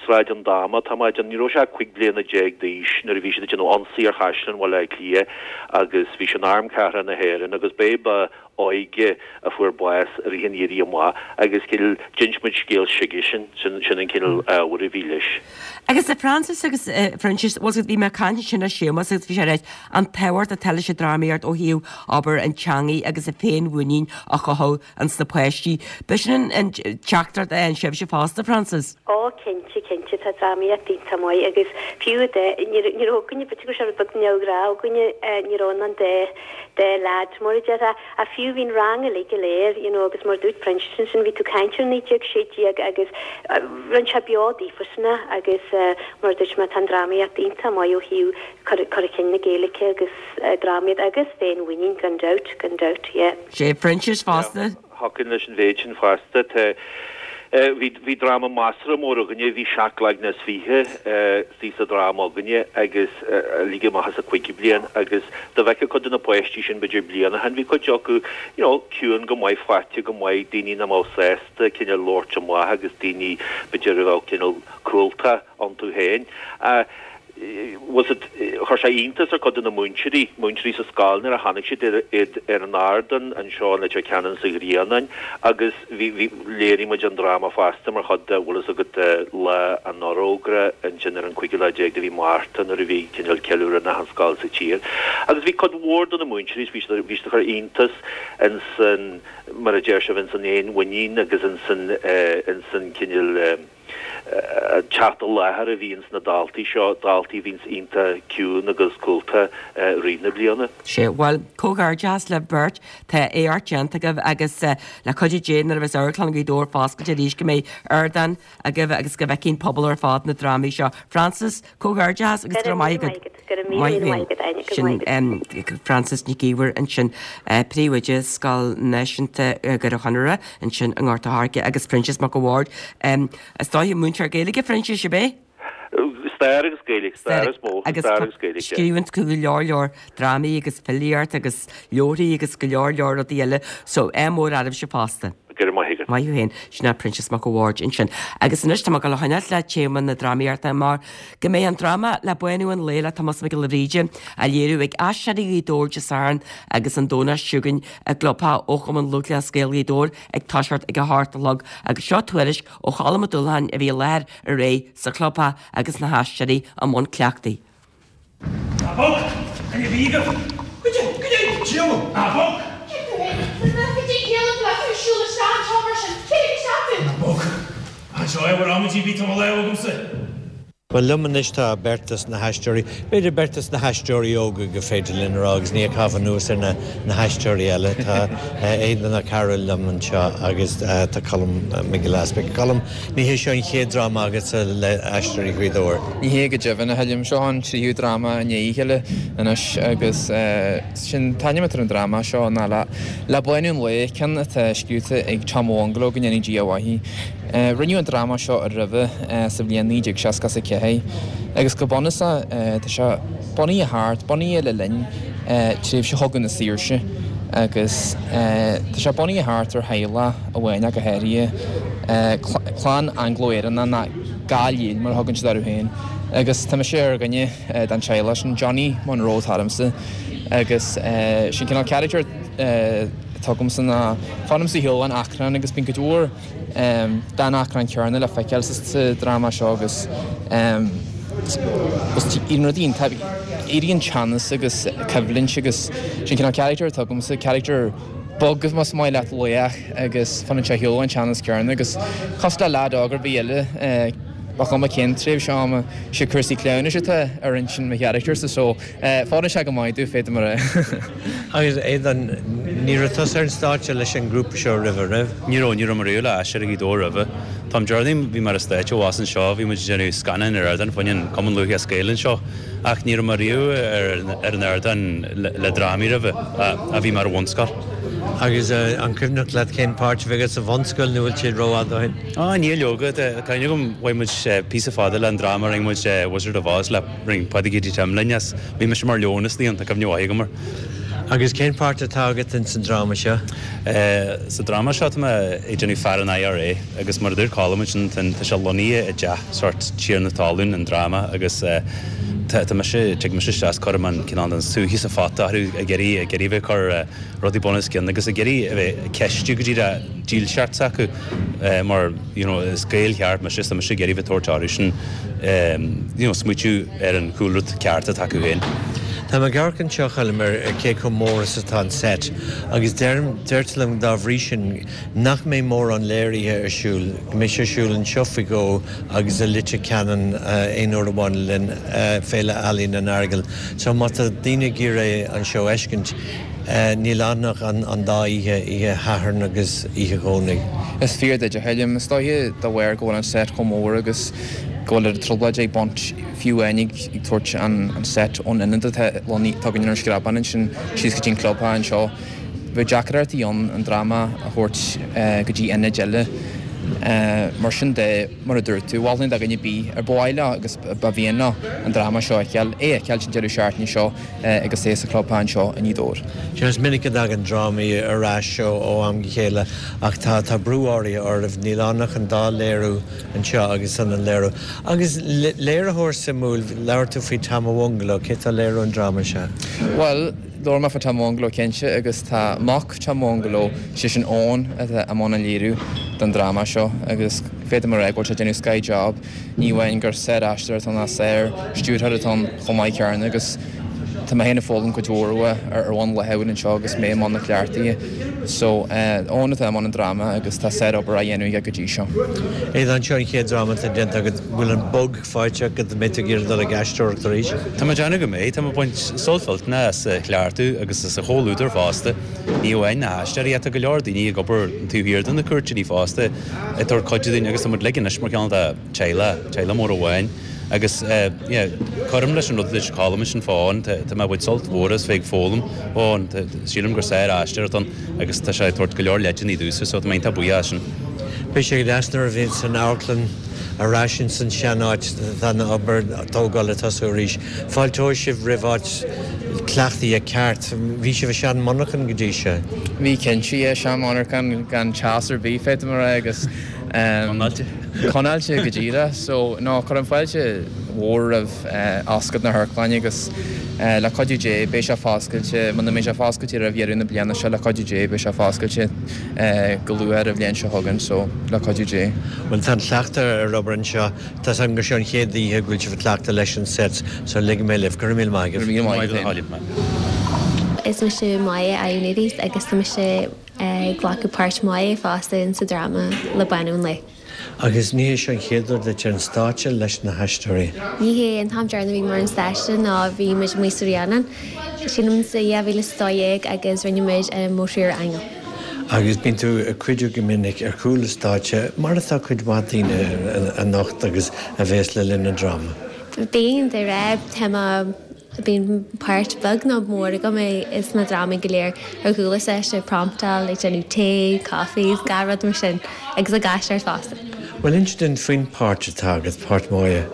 C: Sráid an Dáma, tá mé ag déanamh, ní raibh sé ach 15 bliana d'aois nuair a bhí siad ag déanamh ionsaí ar Chaisleán Bhaile Átha Cliath agus bhí sé in Arm Cathartha na hÉireann agus b'é ba óige a fuair bás i rith an Éirí Amach agus cineál d'inis muid scéal s'aigesean, sin sin an cineál ábhar a bhí leis.
A: Agus a Frances agus a Phroinsias, bhuel bhí mé ag caint ansin le Séamus agus bhí sé ag ráit an tábhacht atá leis an drámaíocht ó thaobh abair an teangaidh agus an féinmhuinín a chothú ins na páistí. B'shin an teachtaireacht a fhaigheann sibhse fosta, Frances?
D: Ó, cinnte, cinnte, tá drámaíocht iontach maith agus fiú de, ní raibh againne, b'fhéidir go raibh sé rud beag neamhghnách againne, ní raibh ann dá, dá leaid mar a déarfá, ach fiú bhí an rang uilig go léir, you know, agus mar a dúirt Proinsias ansin, bhí tú ag caint ar 1916 agus rinne sé beo daofasan é agus mar a dúirt mé, tá an drámaíocht iontach maith ó thaobh cur, cur chun cinn na Gaeilge agus drámaíocht agus féinmhuinín gan dabht, gan dabht, yeah.
A: Sé Proinsias fosta.
C: Thiocfainn leis an mhéid sin fosta. Tá, bhí, bhí dráma measartha mór againne, bhí seacht gcloigne is fiche istigh sa dráma againne agus uilig amach as an cúigiú bliain agus dá bhfeicfeá cuid de na páistí sin b'fhéidir bliain ó shin, bhí cuid acu, you know, ciúin go maith, faighte go maith, daoine nach mbeadh sásta cineál labhairt amach agus daoine b'fhéidir a bheadh cineál cúlta iontu féin. Bhfuil fhios agat, chuir sé iontas ar chuid de na múinteoirí, múinteoirí sa scoil nuair a chonaic siad iad ar an ardán anseo in Leitir Ceanainn sa Ghrianán agus bhí, bhí, léirigh muid an dráma fosta mar chuid de, bhfuil fhios agat, Lá an Fhorógra ansin ar an cúigiú lá déag de mhí Márta nuair a bhí cineál ceiliúradh in achan scoil sa tír. Agus bhí cuid mhór de na múinteoirí, bhí siad, bhí siad ag cur iontas ins an, mar a deir sibh, ins an fhéinmhuinín agus ins an, ins an cineál, teacht i láthair a bhí ins na daltaí seo, daltaí a bhíonns iontach ciúin agus cúlta i rith na bliana.
A: Sea, bhuel, comhghairdeas libh beirt, tá éacht déanta agaibh agus le cuidiú Dé nuair a bheas Amharclann Ghaoth Dobhair foscailte arís go mbeidh ardán agaibh agus go bhfeicfidh an pobal ar fad na drámaí seo. Frances, comhghairdeas agus go raibh maith agat.
D: Go raibh míle maith agat, Áine. Go raibh maith agat.
A: Sin Frances Nic Íomhair ansin, Príomhoide Scoil Náisiúnta Dhoire Chonaire ansin i nGort a' Choirce agus Proinsias Mac a' Bhaird. Is dóiche múinteoir Gaeilge, Phroinsiais, ab é?
C: Stair agus Gaeilge, stair is mó,
A: stair agus Gaeilge. Scríobhann tú go leor leor drámaí agus filíocht agus leabharthaí agus go leor leor rudaí eile, so ádh mór oraibhse fosta.
C: Go raibh maith agat.
A: Maith thú féin. Sin é Proinsias Mac a' Bhaird ansin. Agus anois tá mé ag dul a choinneáilt le téama na drámaíochta mar go mbeidh an dráma Le Bánú an Lae le Tomás Mac Giolla Bhríde á léiriú ag Aisteoirí Ghaoth Dobhair Dé Sathairn agus an Domhnach seo chugainn i gclubtheach ó Chumann Lúthchleas Gael Ghaoth Dobhair ag toiseacht ag a hocht a chlog agus seo tuairisc ó Cholm Ó Dúlacháin a bhí i láthair aréir sa chlubtheach agus na haisteoirí i mbun cleachtaidh.
E: Ná bog! A bhí agat! Goidé! Goidé! Diabhal! Ná bog!
F: Cé tú fhéin? Cad é céile tú ag siúl isteach anseo mar sin? Cé ag isteach tú?
E: Ná bog! Anseo é bhur amaidí bhí tú mo lámh agamsa!
G: Bhuel, liom anois tá beirt dos na haisteoirí, b'fhéidir beirt dos na haisteoirí óga gur féidir linn a rá agus ní ag caitheamh anuas ar na haisteoirí eile. Tá Aodán Ó Cearúil liom anseo agus tá Colm Mac Giolla Easpaig. Colm, ní hé seo an chéad dráma agatsa le Aisteoirí Ghaoth Dobhair.
H: Ní hé go deimhin, a Choilm. Seo an tríú dráma i ndiaidh a chéile anois agus sin an t-ainm atá ar an dráma seo ná Le Bánú an Lae, ceann atá scríofa ag Tom Bhungalo, go ndéanfaidh Dia a mhaith. Rinneadh an dráma seo roimhe sa bhliain 1964 agus go bunúsach tá sé bunaithe thart, bunaithe le linn tréimhse Chogadh na Saoirse agus tá sé bunaithe thart ar theaghlach amháin ach go háirithe, clann Anglo-Éireannach nó Gall-Íle mar a thugann siad orthu féin agus tá mise ar dhuine den teaghlach sin, Johnny Monroe atá ormsa agus sin cineál character atá agamsa ná fanaim sa shiúl an achrann agus bíonn cuid mhór den achrann céanna le feiceáil sa dráma seo agus éiríonn rudaí iontach, éiríonn teannas agus coimhlint agus sin cineál character atá agamsa, character bog más maith leat, laoch agus fanann sé ar shiúl ón teannas céanna agus cosúil le leaid óg ar bith eile ba chuma cén tréimhse ama, sé cúrsaí cleamhnais atá ar intinn mo character-sa so Fóireann sé go maith domh, féadaim a rá.
G: Agus Aodán, ní raibh tusa ar an stáitse leis an ngrúpa seo roimhe, raibh?
I: Ní raibh, ní raibh mé riamh le Aisteoirí Ghaoth Dobhair roimhe. Tá an Déardaoin, bhí mé ar an stáitse abhus anseo, bhí muid ag déanamh scannáin ar ardán fá choinne an Cumann Lúthchleas Gael anseo ach ní raibh mé riamh ar an ardán le drámaí roimhe, a bhí mé ar an bhunscoil.
G: Agus an cuimhneach leat cén páirt a bhí agat sa bhunscoil nó bhfuil sé rófhada ó shin?
I: Á, níl leoga, tá cuimhne agam, bhain muid píosa fada le an dráma a rinne muid Wizard of Oz le. Rinne Páidí Katie Tim linn as. Bhí mise mar leon is tá cuimhne mhaith agam air.
G: Agus cén páirt atá agat ins an dráma seo?
I: Sa dráma seo tá mé ag déanamh fear an IRA agus mar a dúirt Colm ansin tá sé lonnaithe i dteach sórt tiarna talún an dráma agus tá mise, tig mise isteach is cuirim an cineál den sútha sa phota orthu ag iarraidh, ag iarraidh bheith ag cur rudaí bun os cionn agus ag iarraidh a bheith ag ceistiú go díreach dílseacht s'acu mar you know is Gael cheart mise is tá mise ag iarraidh bheith tabhairt orthu sin you know smaoitiú ar an chúlra ceart atá acu féin.
G: Tá mé ag amharc anseo, a Choilm, ar cé chomh mór is atá an seit agus deirim, deirtear liom dá bhrí sin nach mbeidh mórán léirithe ar siúl, go mbeidh sé ar siúl anseo faoi dhó agus i Leitir Ceanainn aon uair amháin le linn Féile Ealaíon an Earagail. So má tá daoine ag iarraidh an seó a fheiscint, Níl ann ach an dá oíche, oíche Shathairn agus oíche Dhomhnaigh.
H: Is fíor duit, a Choilm. Is dóiche de bharr go bhfuil an set chomh mór agus go bhfuil trioblóid ag baint fiú amháin ag tabhairt an set ón ionad atá lonnaithe againn ar an Screabán ansin síos go dtí an clubtheach anseo. Bheadh deacrachtaí ann an dráma a thabhairt go dtí ionaid eile. Mar sin de, mar a dúirt tú, mholfainn do dhuine ar bith ar ba mhaith leo agus ba mhian leo an dráma seo a fheiceáil, é a fheiceáil an deireadh seachtaine seo. agus é sa chlubtheach anseo i nGaoth Dobhair.
G: Sea, is minic a dtagann drámaí ar ais ó am go chéile ach tá tá brú áirithe oraibh, níl ann ach an dá léiriú anseo agus an an léiriú. Agus léiritheoir suimiúil, labhair tú faoi Tom Bhungalo, cé atá ag léiriú an dráma seo?
H: Bhuel, labhair mé faoi Tom Bhungalo cinnte agus tá mac Tom Bhungalo, sé sin Eoin, atá i mbun an léiriú don dráma seo agus féadaim a rá go bhfuil sé ag déanamh sky job. Ní amháin gur sár-aisteoir atá ann ach sár-stiúrthóir atá ann chomh maith céanna agus tá mé féin ag foghlaim cuid mhór uaidh ar bhonn laethúil anseo agus mé i mbun na cleachtaí. So, Eoin atá i mbun an dráma agus tá sár-obair á dhéanamh aige go dtí seo.
G: Aodán, seo an chéad dráma atá déanta agat. Bhfuil an bug faighte agat an mbeidh tú ag iarraidh dul ag aisteoireacht arís?
I: Tá mé ag déanamh go mbeidh. Tá mé ag baint sult millteanach as an chleachtadh agus as an chomhluadar fosta. Ní amháin na haisteoirí ach tá go leor daoine ag obair taobh thiar de na cúirtéiní fosta. ag tabhairt cuidiú dúinn agus tá muid uilig anois mar chineál de teaghlach, teaghlach mór amháin agus yeah cuirim leis an rud a dúirt Colm ansin fá Eoin, tá mé ag baint sult mhór as bheith ag foghlaim ó Eoin, sílim gur sár-aisteoir atá ann agus tá sé ag tabhairt go leor leideanna domhsa so tá mé iontach buíoch as sin.
G: Beidh sé go deas nuair a bhíonns an amharclann ar ais ins an sean-áit, tá an obair tógála ag tosú arís. Fáilteoidh sibh roimh áit cleachtaithe ceart. Bhí sibh i sean-mhonarchan go dtí seo.
H: Bhí cinnte, yeah, sean-mhonarchan gan teas ar bith, féadfaidh mé a rá, agus
I: Conáilte.
H: Conáilte go díreach. So, no, cuirim fáilte mhór roimh oscailt na hamharclainne agus le cuidiú Dé beidh sé foscailte, muna mbeidh sé foscailte roimh dheireadh na bliana seo, le cuidiú Dé beidh sé foscailte go luath ar an bhliain seo chugainn, so, le cuidiú Dé.
G: Bhuel, tá an cleachtadh ar obair anseo. Tá 's agam gur seo an chéad oíche go bhfuil sibh ag cleachtadh leis an set so ligfidh mé libh. Go raibh míle maith agaibh.
H: Go raibh míle maith agat
J: féin. Is mise Maya Ioannidis agus tá mise ag glacadh páirt Maya fosta in sa dráma Le Bánú an Lae.
G: Agus ní hé seo an chéad uair duit ar an stáitse leis na hAisteoirí?
J: Ní hé, an t-am deireanach a bhí mé ar an stáitse ná bhí muid amuigh sa Ríonán, sílim sa 2012 agus rinne muid Mo Thriúr Aingeal.
G: Agus bíonn tú ag cuidiú go minic ar chúl an stáitse, mar atá cuid mhaith daoine anocht agus a bhéas le linn an dráma.
J: Bíonn, de réir, tá mé Bíonn páirt bheag nó mór agam i sna drámaí go léir ar chúl an stáitse, ag promptáil, ag déanamh tae, coffees, gach rud mar sin agus ag aisteoireacht fosta.
G: Bhuel, inis dúinn faoin pháirt atá agat, páirt Mháire.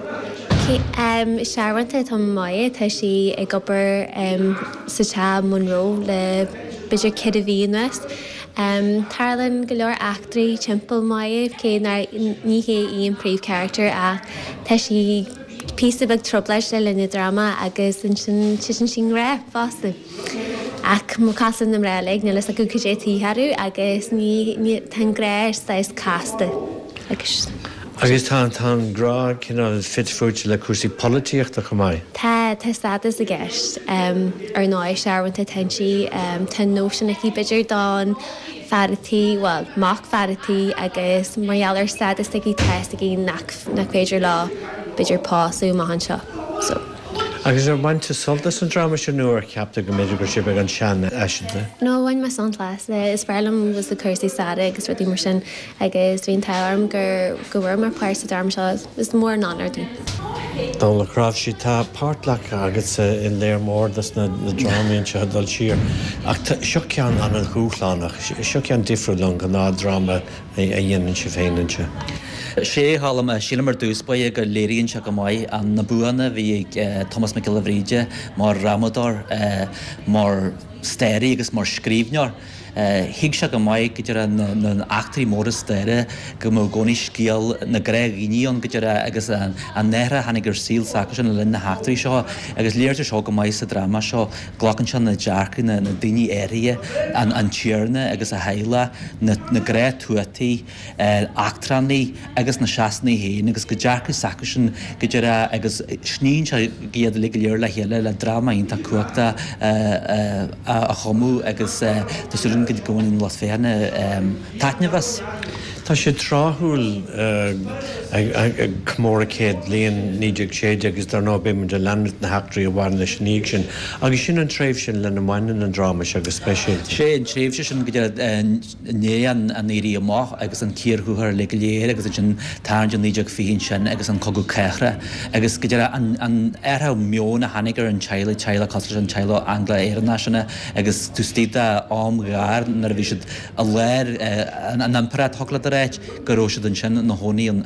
J: Searbhónta atá i Máire, tá sí ag obair sa teach Monroe le b'fhéidir ceithre mhí anuas. Tarlaíonn go leor eachtraí timpeall Máire, cé nár ní hé í an príomhcharachtar ach tá sí píosa beag trioblóid le linn an dráma agus ansin titeann sí i ngrá fosta. Ach mar cosúil na mná uilig, níl fhios acu cad é taobh orthu agus ní, ní, tá an grá saghas casta
G: agus. Agus tá, tá an grá cineál fite fuaite le cúrsaí polaitíochta chomh maith.
J: Tá, tá stádas i gceist. Ar ndóigh, searbhónta atá inti, tá nóisean aici b'fhéidir don fear a' tí, bhuel, mac fear a' tí agus mar gheall ar stádas s'aici tá fhios aici nach nach féidir leo b'fhéidir pósadh amach anseo. So.
G: Agus ar bhain tú sult as an dráma seo nó ar cheap tú go mb'fhéidir go raibh sé beagán seanfhaiseanta?
J: No, bhain mé sult as. Is breá liom was na cúrsaí staire agus rudaí mar sin agus bhí an t-ádh orm gur go bhfuair mé páirt sa dráma seo. Is mór an onóir dom.
G: Dónal Ó Cnáimhsí, tá páirt glactha agatsa i léar mór dos na drámaí anseo ag dul siar ach seo ceann an-dhúshlánach, seo ceann difriúil ón ghnáth-dráma a dhéanann sibh féin anseo.
K: Sé, a Choilm, sílim ar dtús báire go léiríonn sé go maith na buanna a bhí ag Tomás Mac Giolla Bhríde mar dhrámadóir, mar staraí agus mar scríbhneoir. Thuig sé go maith go díreach na heachtraí móra staire, go mbeadh i gcónaí scéal na gnáthdhaoine ann go díreach agus an athrú a tháinig ar saol s'acusan le linn na heachtraí seo agus léirítear seo go maith sa dráma seo. Glacann sé na dearcaidh na daoine áirithe, an tiarna agus a theaghlach, na gnáth-tuataí, eachtrannaigh agus na Sasanaigh féin agus go dearcadh s'acusan go díreach agus sníonn sé iad uilig go léir le chéile le dráma iontach cumhachtach a chumadh agus tá súil agam go mbainfidh an lucht féachana taitneamh as.
G: Tá sé tráthúil ag comóradh 100 bliain 1916 agus dar ndóigh beidh muid ag leanúint na heachtraí a bhain leis ina dhiaidh sin. Agus sin an tréimhse lena mbaineann an dráma seo go speisialta.
K: Sé an tréimhse sin go díreach i ndiaidh an Éirí Amach agus an cíor thuathail uilig go léir agus ansin tarraingt i 1920 ansin agus an Cogadh Cathartha agus go díreach an athrú meoin a tháinig ar an teaghlach, teaghlach cosúil leis an teaghlach Angla-Éireannach sin agus taobh istigh d'am ghearr nuair a bhí siad i lár an impireacht, thiocfadh leat a ráit, go raibh siad ansin ina chónaí in,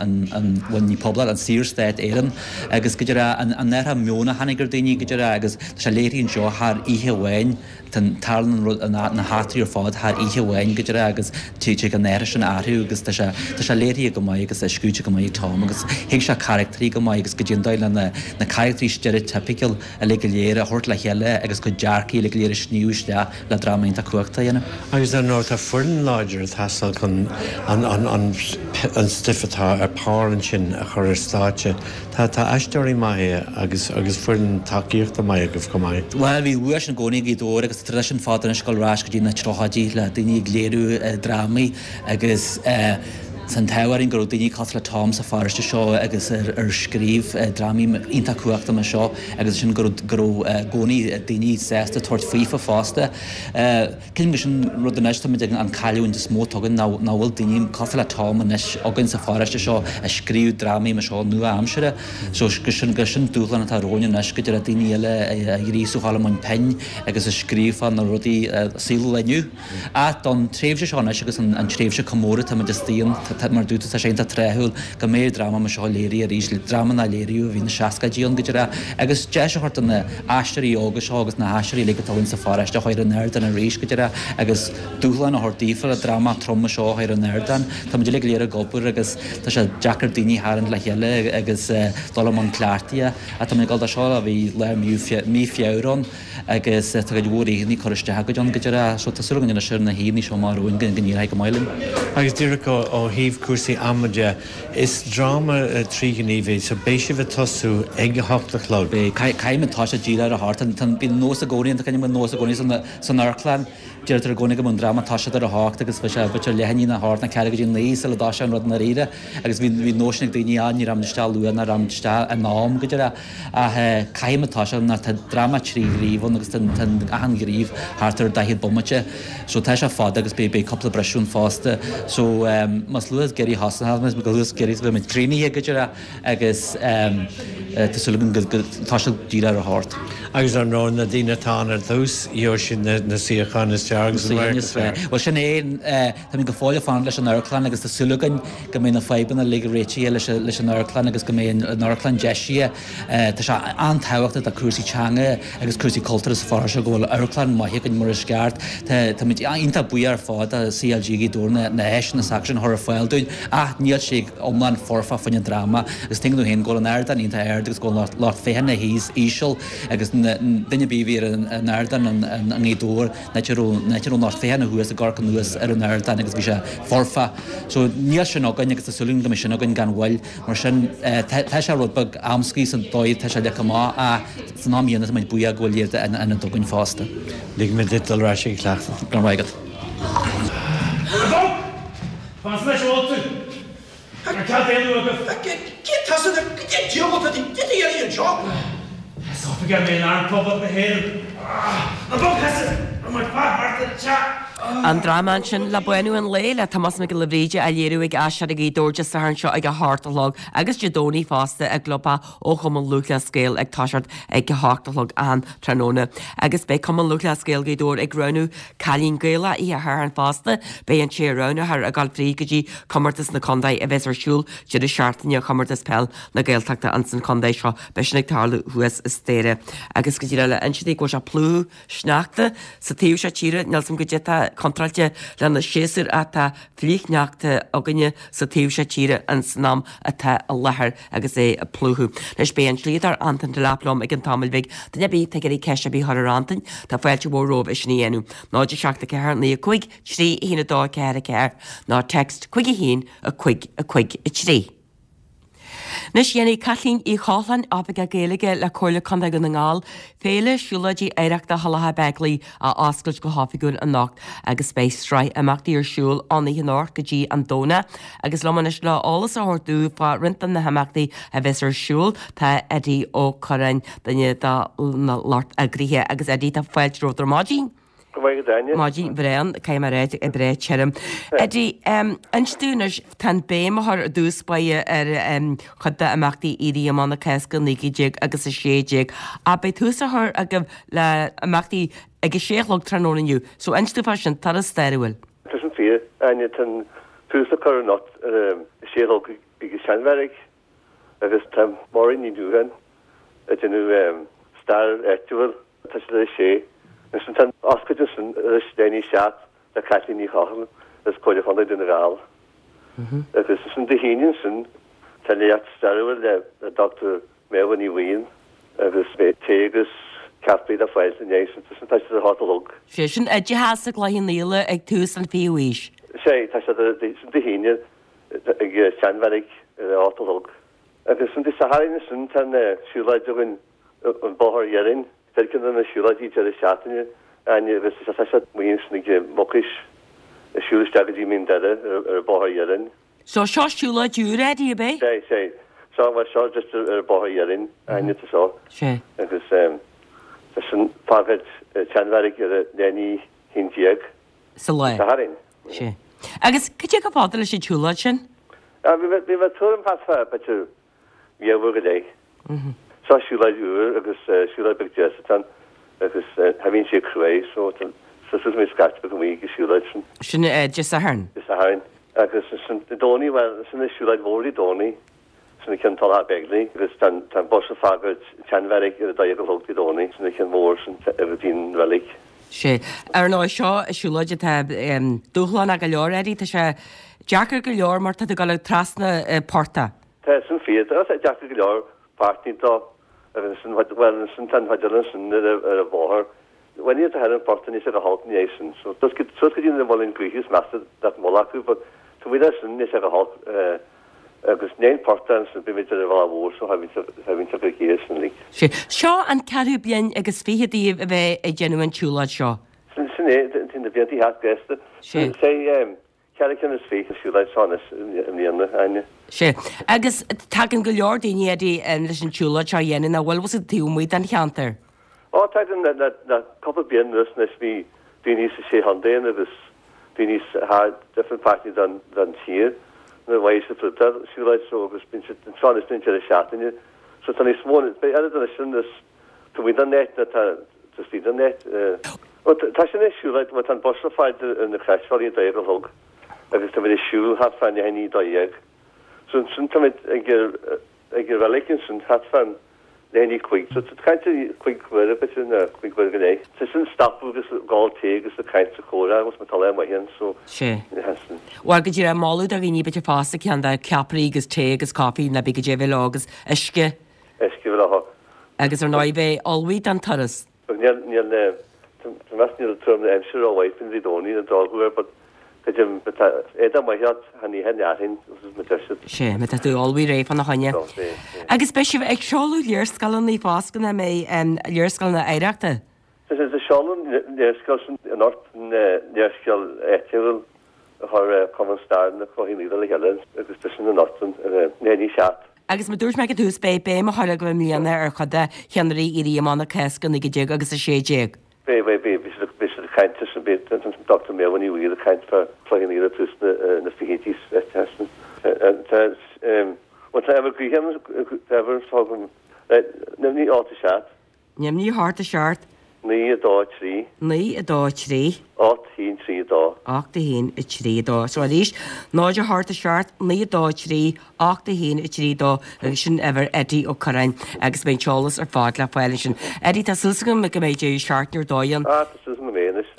K: bhuel, ní poblacht, an Saorstát Éireann agus go díreach an athrú meoin a tháinig ar daoine go díreach agus tá sé léirithe anseo thar oíche amháin, tarlaíonn an rud, na heachtraí ar fad thar oíche amháin go díreach agus tig an athrú sin orthu agus tá sé, tá sé léirithe go maith agus scríte go maith ag Tom agus thuig sé carachtraí go maith agus go dtí an dóigh le na carachtraí steiréitipiciúil uilig go léir a thabhairt le chéile agus cuid dearcaí uilig go léir a shníomh isteach le dráma iontach cumhachtach a dhéanamh.
G: Agus dar ndóigh tá foireann láidir ag teastáil chun an stuif atá ar pár ansin a chur ar stáitse. Tá tá aisteoirí maithe agus agus foireann tacaíochta maith agaibh chomh maith.
K: Bhuel, bhí bua sin i gcónaí ag Gaoth Dobhair agus tá traidisiún fada anois ag dul ar ais go dtí na tríochaidí le daoine ag léiriú drámaí agus tá an t-ádh orainn go raibh daoine cosúil le Tom sa pharóiste seo agus ar scríobh drámaí iontach cumhachtach mar seo agus ansin go raibh go raibh i gcónaí daoine sásta tabhairt faofa fosta. Creidim gur sin rud anois, táimid ag an cailliúint is mó atá againn ná nach bhfuil daoine cosúil le Tom anois againn sa pharóiste seo a scríobh drámaí mar seo nua-aimsire. So gur sin gur sin dúshlán atá romhainn anois go dtig le daoine eile a ghríosú a dhul i mbun pinn agus a scríobh fá na rudaí saol inniu. Ach don tréimhse seo anois agus an tréimhse comóradh táimid istigh ann, mar a dúirt tú, tá sé iontach tráthúil go mbeidh dráma mar seo léirithe arís, dráma nár léiríodh ó bhí na seascaidí ann go díreach, agus deis a thabhairt do na haisteoirí óga seo agus na haisteoirí uilig atá againn sa pharóiste a chur ar an ardán arís go díreach agus dúshlán a thabhairt daofa le dráma trom mar seo a chur ar an ardán. Táimid uilig go léir ag obair agus tá sé deacair daoine a tharraingt le chéile agus dul i mbun cleachtaidh ach táimid ag dul do seo ó bhí lár mí Feabhra ann. agus tá cuid mhór oícheanna curtha isteach againn ann go díreach so tá súil againn anois ar na hoícheanna seo amach romhainn go n-éireoidh go maith linn.
G: Agus díreach ó thaobh. thaobh cúrsaí ama de, is dráma tríghníomh é, so beidh sibh ag tosú ag a hocht a chlog.
K: Beidh, caithfidh muid toiseacht díreach ar a hocht, bíonn nós i gcónaí, tá nós i gcónaí san amharclann, Deirtear i gcónaí go mbeadh an dráma ag toiseacht ar a hocht agus bheadh sé b'fhéidir leath i ndiaidh a hocht nó ceathrú go dtí a naoi sula dtoiseodh an rud i ndáiríre agus bhí bhí nós sin ag daoine ah ní raibh muid isteach luath ná raibh muid isteach in am go díreach ach caithfidh muid toiseacht mar tá dráma tríghníomh ann agus tá tá achan ghníomh thart ar 40 bomaite so tá sé fada agus beidh beidh cúpla briseadh ann fosta so más luath is giorraí a thosóidh muid go luath is giorraí is a bheidh muid críochnaithe go díreach agus tá súil agam go dtoiseoidh díreach ar a hocht.
G: Agus ar ndóigh, na daoine atá ann ar dtús, gheobhaidh siad na suíocháin is fearr agus an radharc is fearr.
K: Bhuel, sin é. Táimid go fóill ag fanacht leis an amharclann agus tá súil againn go mbeidh na fadhbanna uilig réitithe leis an amharclann agus go mbeidh an amharclann deisithe. Tá sé an-tábhachtach do chúrsaí teanga agus cúrsaí cultúrtha sa pharóiste go bhfuil amharclann maith againn mar is ceart. Táimid iontach buíoch ar fad do CLG Ghaoth Dobhair na háiseanna s'acusan a chur ar fáil dúinn ach níl sé iomlán foirfe fá choinne dráma agus tuigeann tú féin go bhfuil an ardán iontach ard agus go bhfuil an lucht féachana thíos íseal agus duine ar bith a bhí ar an ardán i nGaoth Dobhair an áit a raibh an áit a raibh an lucht féachana thuas ag amharc anuas ar an ardán agus bhí sé foirfe. So níl sin againn agus tá súil againn go mbeidh sin againn gan mhoill. Mar sin tá sé rud beag amscaí sa dóigh atá sé leagtha amach ach san am chéanna tá muid buíoch go bhfuil iad in ionad againn fosta.
G: Ligfidh mé duit dul ar ais ag cleachtadh.
K: Go raibh maith agat.
E: Fan anois a bhfuil tú. Ar cead éalú agaibh? Cé tusa nó cad é diabhal atá tú ag iarraidh anseo? Is oifigeach mé in Arm Phoblacht na hÉireann. Ná bog thusa! Raibh muid fad thart ar an teach.
A: An dráma ansin le Bánú an Lae le Tomás Mac Giolla Bhríde á léiriú ag Aisteoirí Ghaoth Dobhair Dé Sathairn seo ag a hocht a chlog agus Dé Domhnaigh fosta i gclubtheach ó Chumann Lúthchleas Gael ag toiseacht ag a hocht a chlog achan tráthnóna. Agus beidh Cumann Lúthchleas Gael Ghaoth Dobhair ag roghnú Cailín Gaelach oíche Shathairn fosta. Beidh an té a roghnófar ag dul fríd go dtí Comórtas na Contae a bheas ar siúl deireadh seachtaine Chomórtas Peil na Gaeltachta ins an chontae seo. Beidh sin ag tarlú thuas i Staire. Agus go díreach le inse daoibh go bhfuil sé ag plúchadh sneachta sa taobh seo tíre, níl 's a'm goidé atá contráilte lena séasúr ach tá flichshneachta againne sa taobh seo tíre ins an am atá i láthair agus é ag plúchadh. Anois beidh an slíodóir Antain Delap liom i gcionn tamaill bhig. Duine ar bith atá ag iarraidh ceist ar bith a chur ar Antain, tá fáilte mhór romhaibh é sin a dhéanamh. 0 7 4 9 5 3 1 2 4 4 nó text 5 1 5 5 3. Anois déanfaidh Caitlín Uí Chochláin, Oifigeach Gaeilge le Comhairle Contae Dhún na nGall, Féile Siúlóidí Oidhreachta Thulacha Bheaglaoich a oscailt go hoifigiúil anocht agus beidh sraith imeachtaí ar siúl ón oíche anocht go dtí an Domhnach agus liom anois le eolas a thabhairt dúinn fá roinnt de na himeachtaí a bheas ar siúl tá Eddie Ó Curráin, duine de na lucht eagraithe agus Eddie tá fáilte romhat ar maidin.
L: Go maith agat Áine.
A: Maidin bhreá, caithfidh mé a rá, breá tirim. Eddie, inis dúinn anois, tá an béim á chur i dtús báire ar chuid d'imeachtaí Éirí Amach na Cásca 19 agus 16, ach beidh tús á chur agaibh le imeachtaí ag a sé a chlog tráthnóna inniu. So inis dúinn fá sin, turas stairiúil.
L: Tá sin fíor, Áine, tá an tús á chur anocht ar a sé a chlog ag an Seanbheairic agus tá Máirín Ní Dhúcháin ag déanamh stair áitiúil. Tá siad ar a sé. Ansin tá an oscailt ansin ar a leath i ndiaidh a 7 le Caitlín Ní Chochláin as Comhairle Chontae Dhún na nGall. Agus ansin Dé hAoine ansin tá léacht stairiúil le Dr. Méabha Ní Bhaoill agus beidh tae agus ceapaí le fáil ina dhiaidh sin. Ansin tá siad ar a hocht a chlog.
A: Sé sin oideachas i gCloich Cheann Fhaola ag tús an fichiú haois.
L: Sé, tá siad ar sin Dé hAoine ag Seanbheairic ar a hocht a chlog. Agus ansin Dé Sathairn ansin tá an siúlóid againn an Bóthar Iarainn, ar ceann de na siúlóidí deireadh seachtaine, Áine, agus tá siad amuigh ansin ag Mucais, ag siúl isteach go dtí Mín Doire ar an Bóthar Iarainn.
A: So seo siúlóid úr, Eddie, ab
L: é? Sé, sé. Seo, bhuel, seo just ar an Bóthar Iarainn, Áine, tá seo.
A: Sé.
L: Agus tá sin fágáil an tSeanbheairic ar a leath i ndiaidh a 11.
A: Sa lá.
L: Sathairn.
A: Sé. Agus cad é chomh fada leis an tsiúlóid sin?
L: Bhí mé, bhí mé tuairim thart fá, b'fhéidir, leathuair go leith. Seo siúlóid úr agus siúlóid beag deas atá ann agus cha bhíonn sé cruaidh so tá súil agam scaifte beag amuigh ag an siúlóid
A: sin. Sin Dé Sathairn?
L: Dé Sathairn. Agus ansin Dé Domhnaigh, bhuel, sin an siúlóid mhór Dé Domhnaigh, sin an ceann Tulach Beigile agus tá an bus ag fágáil tSeanbheairic ar a dó dhéag a chlog Dé Domhnaigh, sin an ceann mhór sin go dtí an reilig.
A: Sé. Ar ndóigh, seo siúlóid atá dúshlánach go leor, Eddie. Tá sé deacair go leor mar tá tú ag dul trasna portach.
L: Tá sin fíor. Tá sé deacair go leor páirtí dó agus ansin, bhuel, ansin tá an chuid eile ansin ar an bhóthar. Bhuel, ní tá ar an phortach níos go holc ní é sin. So, suas go dtí na muileann gaoithe is measa nach mbeadh acu, but. Taobh amuigh de sin, níl sé go holc agus i ndiaidh an portán ansin beimid ar an bhealach mhór so thaibhítear go géar sin uilig.
A: Sea. Seo an ceathrú bliain agus fichead daoibh a bheith ag déanamh an tsiúlóid seo.
L: Sin é, tá na blianta thart gasta.
A: Sea.
L: Sé cheithre cinn is fiche siúlóid seo anois i mbliana, Áine.
A: Sea. Agus tagann go leor daoine, Eddie, leis an tsiúlóid seo a dhéanamh, nach bhfuil fhios agat taobh amuigh den cheantar?
L: Ó, tagann le cúpla bliain anuas anois bhí daoine sa sé chontae ann agus daoine thar different páirteanna den tír nuair a mhaígh siad fríd an siúlóid so agus bíonn siad anseo anois don deireadh seachtaine. So tá níos mó, beidh oiread anois sin is Taobh amuigh den áit ná tá istigh den áit. Bhuel, tá sin ag siúl, bhuel tá an bus le fáil ar na Croisbhealaí a 12 a chlog agus táimid ag siúl thart fá leath i ndiaidh 12. So ansin táimid ag ag an reilig ansin thart fá leath i ndiaidh 5. So tá caint ar chúig uaire b'fhéidir nó cúig uaire go leith. Tá sin stopadh agus ag ól tae agus ag caint sa chomhrá agus má tá lá maith ann so
A: Sea.
L: ansin.
A: Bhuel go díreach moladh do dhaoine b'fhéidir fosta ceann de ceapairí agus tae agus caife nó bíodh goidé a bheith leo agus uisce.
L: Uisce leo.
A: Agus ar ndóigh bheith ullmhaithe don turas.
L: Níl, níl, tá meas níl tuairim na aimsire rómhaith faoin Dé Domhnaigh an drochuair but creidim má tá éadach maith agat chan oíche an fhearthainn agus má deir siad.
A: Sea, má tá tú ullmhaithe réidh fána choinne.
L: So, beidh, beidh.
A: Agus beidh sibh ag seoladh léarscáileanna fosta nach mbeidh, léarscáileanna oidhreachta?
L: Tá siad ag seoladh an léarscáil sin anocht, an léarscáil áitiúil a chuir Cumann Staire na Cloiche Naofa le chéile agus tá sin anocht ar leath i ndiaidh 7.
A: Agus mar dúirt mé ag an tús, beidh béim á chur agaibh i mbliana ar chuid de cheannairí Éirí Amach na Cásca 19 agus 16.
L: Beidh, beidh, beidh, beidh siad, beidh siad ag caint leis an, beidh an Dr Méabha Ní Bhaoill ag caint fá Chloich Cheann Fhaola tús na fichidí ansin. Tá, bhuel tá uimhir gutháin, tá uimhir agam, 9 8 7.
A: 0 8 7.
L: 9 2 3.
A: 9 2 3.
L: 8 1 3 2.
A: 8 1 3 2. So arís, 0 8 7, 9 2 3, 8 1 3 2 agus sin uimhir Eddie Ó Curráin agus beidh an t-eolas ar fad le fáil ansin. Eddie, tá súil agam go mbeidh deireadh seachtaine ar dóigh ann.
L: Ah, tá súil agam go mbeidh anois.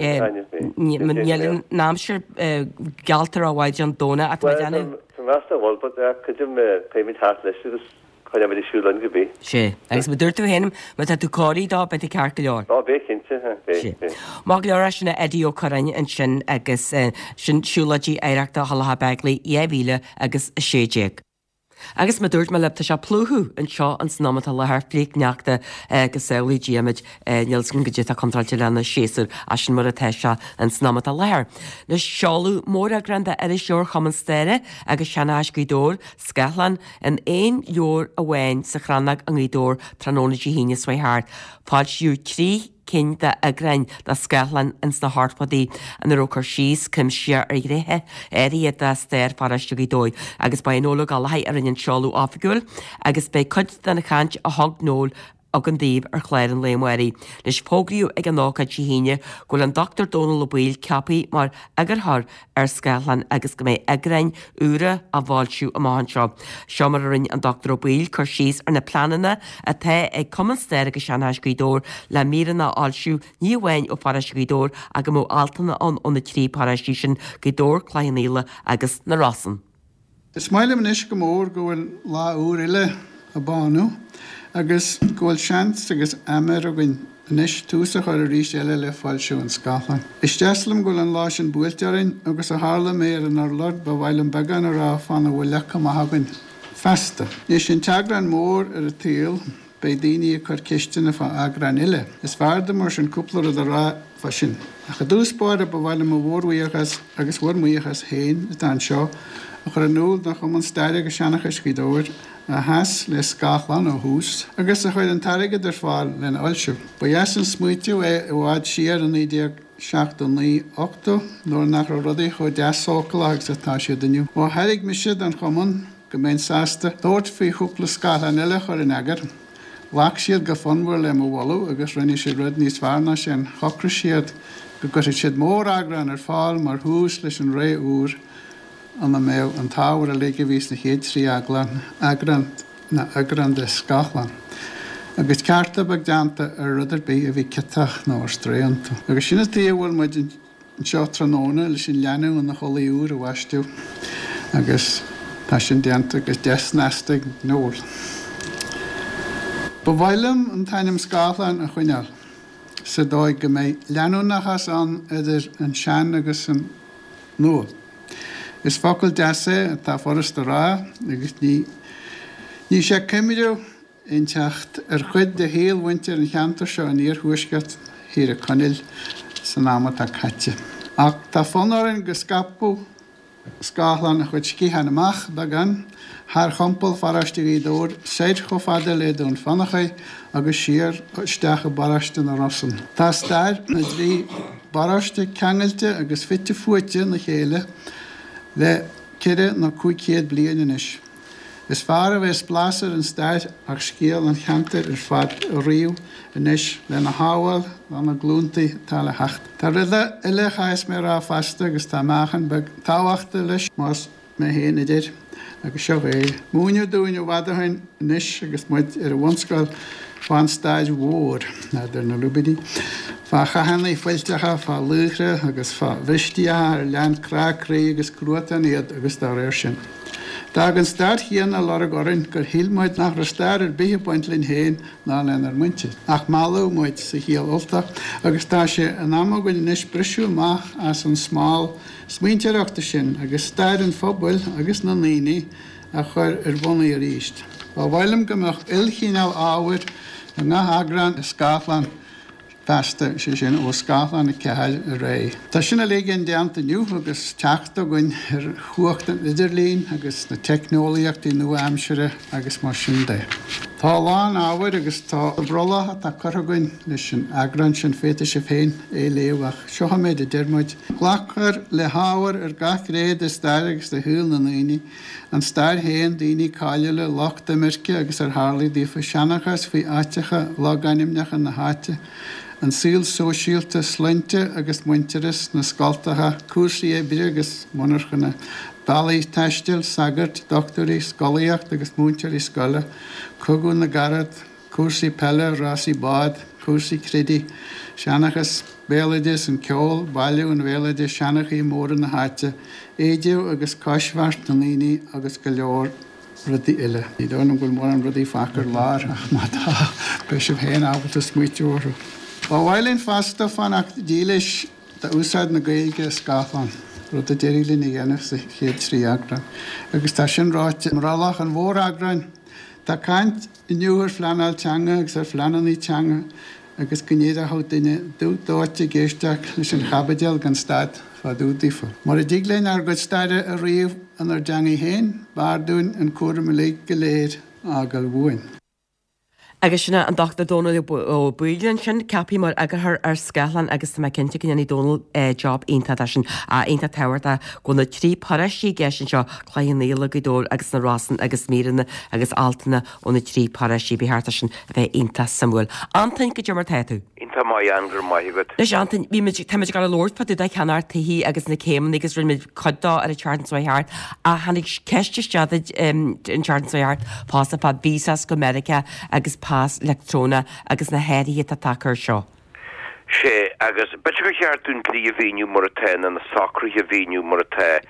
A: Níl an aimsir geallta rómhaith don Domhnach ach tá mé ag déanamh.
L: Bhuel, tá meas a bhfuil, but creidim beimid thart leis agus Coinneoimid ag siúl linn go bith.
A: Sea. Agus mar dúirt tú féin, má tá tú cóirithe dó, beidh tú ceart go leor.
L: Ó, beidh cinnte, beidh,
A: Sea.
L: beidh.
A: Maith go leor, é sin Eddie Ó Curráin ansin agus sin Siúlóidí Oidhreachta Thulach Beigile 2016. Agus mar dúirt mé libh, tá sé ag plúchadh anseo ins an am atá i láthair, flichshneachta go samhlaí Dia muid, níl 's agam goidé atá contráilte lena séasúr, ach sin mar atá sé ins an am atá i láthair. Anois, seoladh móreagrán d'Irisleabhar Chumann Staire agus Seanchais Ghaoth Dobhair, Scáthlán, In aon leabhar amháin sa Chrannóg i nGaoth Dobhair tráthnóna Dé hAoine seo chuaigh thart, foilsíodh 3 cinn d'eagráin de Scáthlán ins na hochtóidí ina raibh cur síos cuimsitheach ar ghnéithe áirithe de stair pharóiste Ghaoth Dobhair agus ba é Noel Ó Gallchóir a rinne an seoladh oifigiúil agus beidh cuid den chaint a thug Noel againn daoibh ar chlár an lae amáirigh. Anois, fógraíodh ag an ócáid Dé hAoine go bhfuil an Dr Dónal Ó Baoill ceaptha mar eagarthóir ar Scáthlán agus go mbeidh eagráin úra á bhfoilsiú amach anseo. Seo mar a rinne an Dr Ó Baoill cur síos ar na pleananna atá ag Cumann Staire agus Seanchais Ghaoth Dobhair le míreanna a fhoilsiú ní amháin ó pharóiste Ghaoth Dobhair ach go mbeadh altanna ann ó na trí paróistí sin, Gaoth Dobhair, Cloich Cheann Fhaola agus na Rosann.
M: Is maith liom anois go mór go bhfuil lá úr eile á bánú agus go bhfuil seans agus aiméar againn anois tús a chur arís eile le foilsiú an Scáthláin. Is deas liom go bhfuil an lá sin buailte orainn agus ó tharla mé ar an urlár ba mhaith liom beagán a rá fána bhfuil leagtha amach againn feasta. Anois an t-eagrán mór ar an tsaol. Beidh daoine ag cur ceisteanna fá eagráin eile. Is fearr dom mar sin cúpla rud a rá fá sin. Ach i dtús báire ba mhaith liom mo mhórbhuíochas agus bhur mbuíochas féin atá anseo a chur in iúl don Chumann Staire agus Seanchais Ghaoth Dobhair a sheas le Scáthlán ó thús agus a chuir an t-airgead ar fáil lena fhoilsiú. Ba dheas an smaoitiú é i bhfad siar i 1979, 80 nuair nach raibh rudaí chomh deas sócalach agus atá siad inniu. Ó thairg mise don Chumann go mbeinn sásta tabhairt faoi chúpla scáthlán eile a chur in eagar. Ghlac siad go fonnmhar le mo mholadh agus rinne siad rud níos fearr ná sin, shocraigh siad go gcuirfeadh siad móreagrán ar fáil mar thús leis an ré úr ina mbeadh an t-ábhar uilig a bhí sna chéad trí eaglán, eagrán, nó eagrán de Scáthlán, agus ceartú beag déanta ar rud ar bith a bhí ciotach nó ar strae iontu. Agus sin an tuige a bhfuil muid anseo tráthnóna leis an leanbh ina chulaith úr a bhaisteadh agus tá sin déanta go deas snasta ag Noel. Ba mhaith liom an t-ainm Scáthlán a choinneáil sa dóigh go mbeidh leanúnachas ann idir an sean agus an nua. Is focal deas é atá furast a rá agus ní ní sé coimriú inteacht ar chuid de shaol mhuintir an cheantair seo in iarthuaisceart Thír Chonaill san am atá caite. Ach tá fonn orainn go scaipfeadh Scáthlán a chuid sciathán amach beagán thar chompal pharóiste Ghaoth Dobhair soir chomh fada le Dún Fionnachaidh agus siar isteach i bparóiste na Rosann. Tá stair na dtrí bparóiste ceangailte agus fite fuaite ina chéile le ceithre nó 500 bliain anois. Is fearr a bheas blas ar an stair ach scéal an cheantair ar fad a ríomh anois lena shábháil do na glúntaí atá le theacht. Tá rud eile a chaithfeas mé a rá fosta agus tá meáchan beag tábhachta leis más mé féin a deir, agus seo é. Múineadh dúinn i bhfad ó shin anois agus muid ar an bhunscoil fán stair mhór, n'fheadar na lúibíní, fá chathanna fuilteacha, fá laochra agus fá bhristíocha ar lean crá croí agus cruatan iad agus dá réir sin. D'fhág an stair chéanna lorg orainn gur shíl muid nach raibh stair ar bith ag baint linn féin ná lenár muintir. Ach mealladh muid sa chiall Ultach agus tá sé in am againn anois briseadh amach as an smál smaointeoireachta sin agus stair an phobail agus na ndaoine a chur ar bhonnaí arís. Ba mhaith liom go mbeadh ilchineál ábhair i ngach eagrán de Scáthlán feasta, sé sin, ó Scáthlán 4 ar aghaidh. Tá sin uilig indéanta inniu agus teacht againn ar chumhacht an idirlín agus na teicneolaíochtaí nua-aimsire agus mar sin de. Tá a lán ábhair agus tá brollach atá curtha againn leis an eagrán sin, féadfaidh sibh féin é a léamh ach seo an méid a deir muid. Glacfar le hábhar ar gach gné de stair agus de shaol na ndaoine, an stair féin, daoine cáiliúla, lucht imirce agus ar tharlaigh daofa, seanchas faoi áiteacha, logainmneacha na háite, an saol sóisialta, sloinnte agus muintearas, na scoltacha, cúrsaí oibre agus monarchana, bealaí taistil, sagairt, dochtúirí, scolaíocht agus múinteoirí scoile, Cogadh na gCarad, cúrsaí peile, rásaí bád, cúrsaí creidimh, seanchas, béaloideas, an ceol, bailiú an bhéaloidis, seanchaithe móra na háite, éide agus coisbheart na ndaoine agus go leor rudaí eile. Ní dóigh liom go bhfuil mórán rudaí fágtha ar lár ach má tá, beidh sibh féin ábalta smaoitiú orthu. Ba mhaith linn fosta fanacht dílis d'úsáid na Gaeilge i Scáthlán, rud a d'éirigh linn a dhéanamh sa chéad trí eagrán. Agus tá sin ráite i mbrollach an mhóreagráin. Tá caint inniu ar phleanáil teanga agus ar phleananna teanga agus go n-éireochadh duine dubh dóite ag éisteacht leis an chaibidil gan stad fá dtaobh daofa. Mura dtig linn ár gcuid staire a ríomh inár dteangaidh féin, b'fhearr dúinn an cúram uilig go léir a fhágáil uainn.
A: Agus sin é an Dr Dónal Ó Baoill ansin, ceaptha mar eagarthóir ar Scáthlán agus tá mé cinnte go ndéanfaidh Dónal job iontach de sin. Iontach tábhachtach go bhfuil na trí paróistí i gceist anseo, Cloich Cheann Fhaola, Gaoth Dobhair agus na Rosann agus míreanna agus altanna ó na trí paróistí. Ba cheart é sin a bheith iontach suimiúil. Antain, goidé mar tá tú?
N: Iontach maith Ann, go raibh maith agat.
A: Anois Antain, bhí muid, tá muid ag dul a labhairt fá dtaobh de cheannacht tithe agus na céimeanna agus rinne muid cuid dó ar an tseachtain seo thart ach tháinig ceist isteach duit an tseachtain seo thart fosta fá visas go Meiriceá agus pas leictreonach agus na hathruithe atá tagtha air seo.
N: Sea, agus b'fhéidir gur cheart dúinn dlí a mhíniú mar atá nó na socruithe a mhíniú mar atá.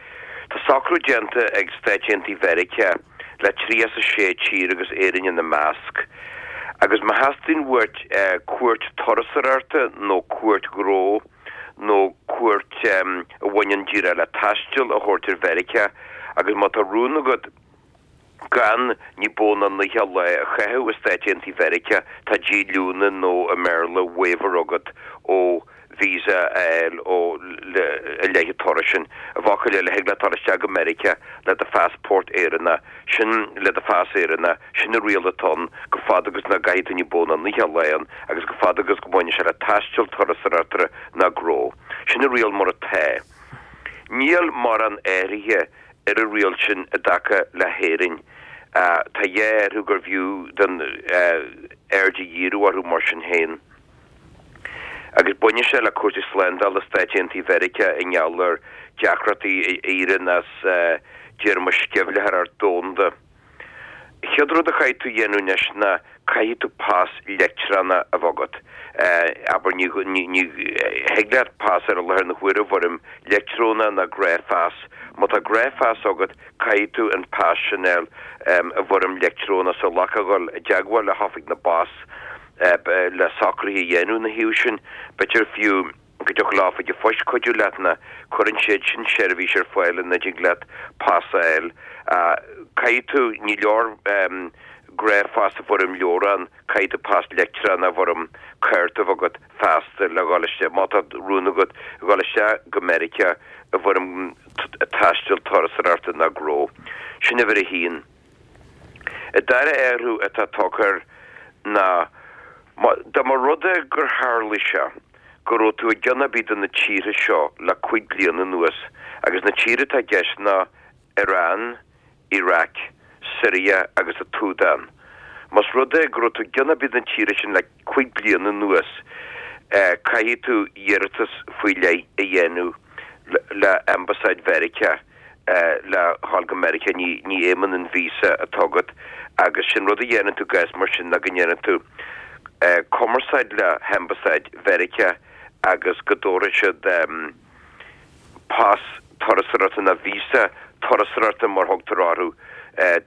N: Tá socrú déanta ag Stáit Aontaithe Mheiriceá le 36 tír agus Éirinn ina measc. Agus má theastaíonn uait cuairt turasóireachta nó cuairt ghnó nó cuairt a bhaineann díreach le taisteal a thabhairt ar Mheiriceá agus má tá rún agat gan ní ba mhó ná 90 lá a chaitheamh i Stáit Aontaithe Mheiriceá, tá díolúine nó i mBéarla waiver agat ó visa a fháil ó i leith an turais sin. I bhfocail eile, thig leat dul isteach go Meiriceá le do phassport Éireannach, sin le do phas Éireannach, sin an riail atá ann go fada agus nach gcaithfidh tú ní ba mhó ná 90 lá ann agus go fada agus go mbaineann sé le taisteal turasóireachta ná gnó. Sin an riail mar atá. Níl mórán athraithe ar an riail sin i dtaca le hÉirinn. Tá dhá athrú gurbh fhiú don aird a dhíriú orthu mar sin féin. Agus baineann sé le cúrsaí slándála Stáit Aontaithe Mheiriceá i ngeall ar deacrachtaí a éiríonn as díorma sceimhlitheoireacht domhanda. Chéad rud a chaithfidh tú a dhéanamh anois ná caithfidh tú pas leictreonach a bheith agat. Abair, ní thig leat pas ar i láthair na huaire i bhfoirm leictreonach ná gnáthphas. Má tá gnáthphas agat, caithfidh tú an pas sin a fháil i bhfoirm leictreonach so ghlacfá a dhul i dteagmháil le hOifig na bPas le socruithe a dhéanamh ina thaobh sin. B'fhéidir fiú. go dtiocfadh le Oifig an Phoist cuidiú leat ná cuireann siad sin seirbhís ar fáil ina dtig leat pas a fháil. Caithfidh tú, ní leor gnáthphas i bhfoirm leabhrán, caithfidh tú pas leictreonach i bhfoirm cárta a bheith agat feasta le dhul isteach, má tá rún agat dhul isteach go Meiriceá i bhfoirm taistil turasóireachta nó gnó. Sin uimhir a haon. An dara athrú atá tagtha air ná dá mba rud é gur tharlaigh sé go raibh tú i gceann ar bith de na tíortha seo le 5 bliana anuas, agus na tíortha atá i gceist ná Iran, Iraq, Siria agus an tSúdáin. Más rud é go raibh tú i gceann ar bith de na tíortha sin le 5 bliana anuas, caithfidh tú iarratas faoi leith a dhéanamh le Ambasáid Mheiriceá. le dhul go Meiriceá, ní fheidhmeann an víosa atá agat agus sé'n rud a dhéanann tú i gcás mar sin ná go ndéanann tú cumarsáid le hAmbasáid Mheiriceá agus go dtabharfaidh siad pas turasóireachta nó víosa turasóireachta mar thugtar orthu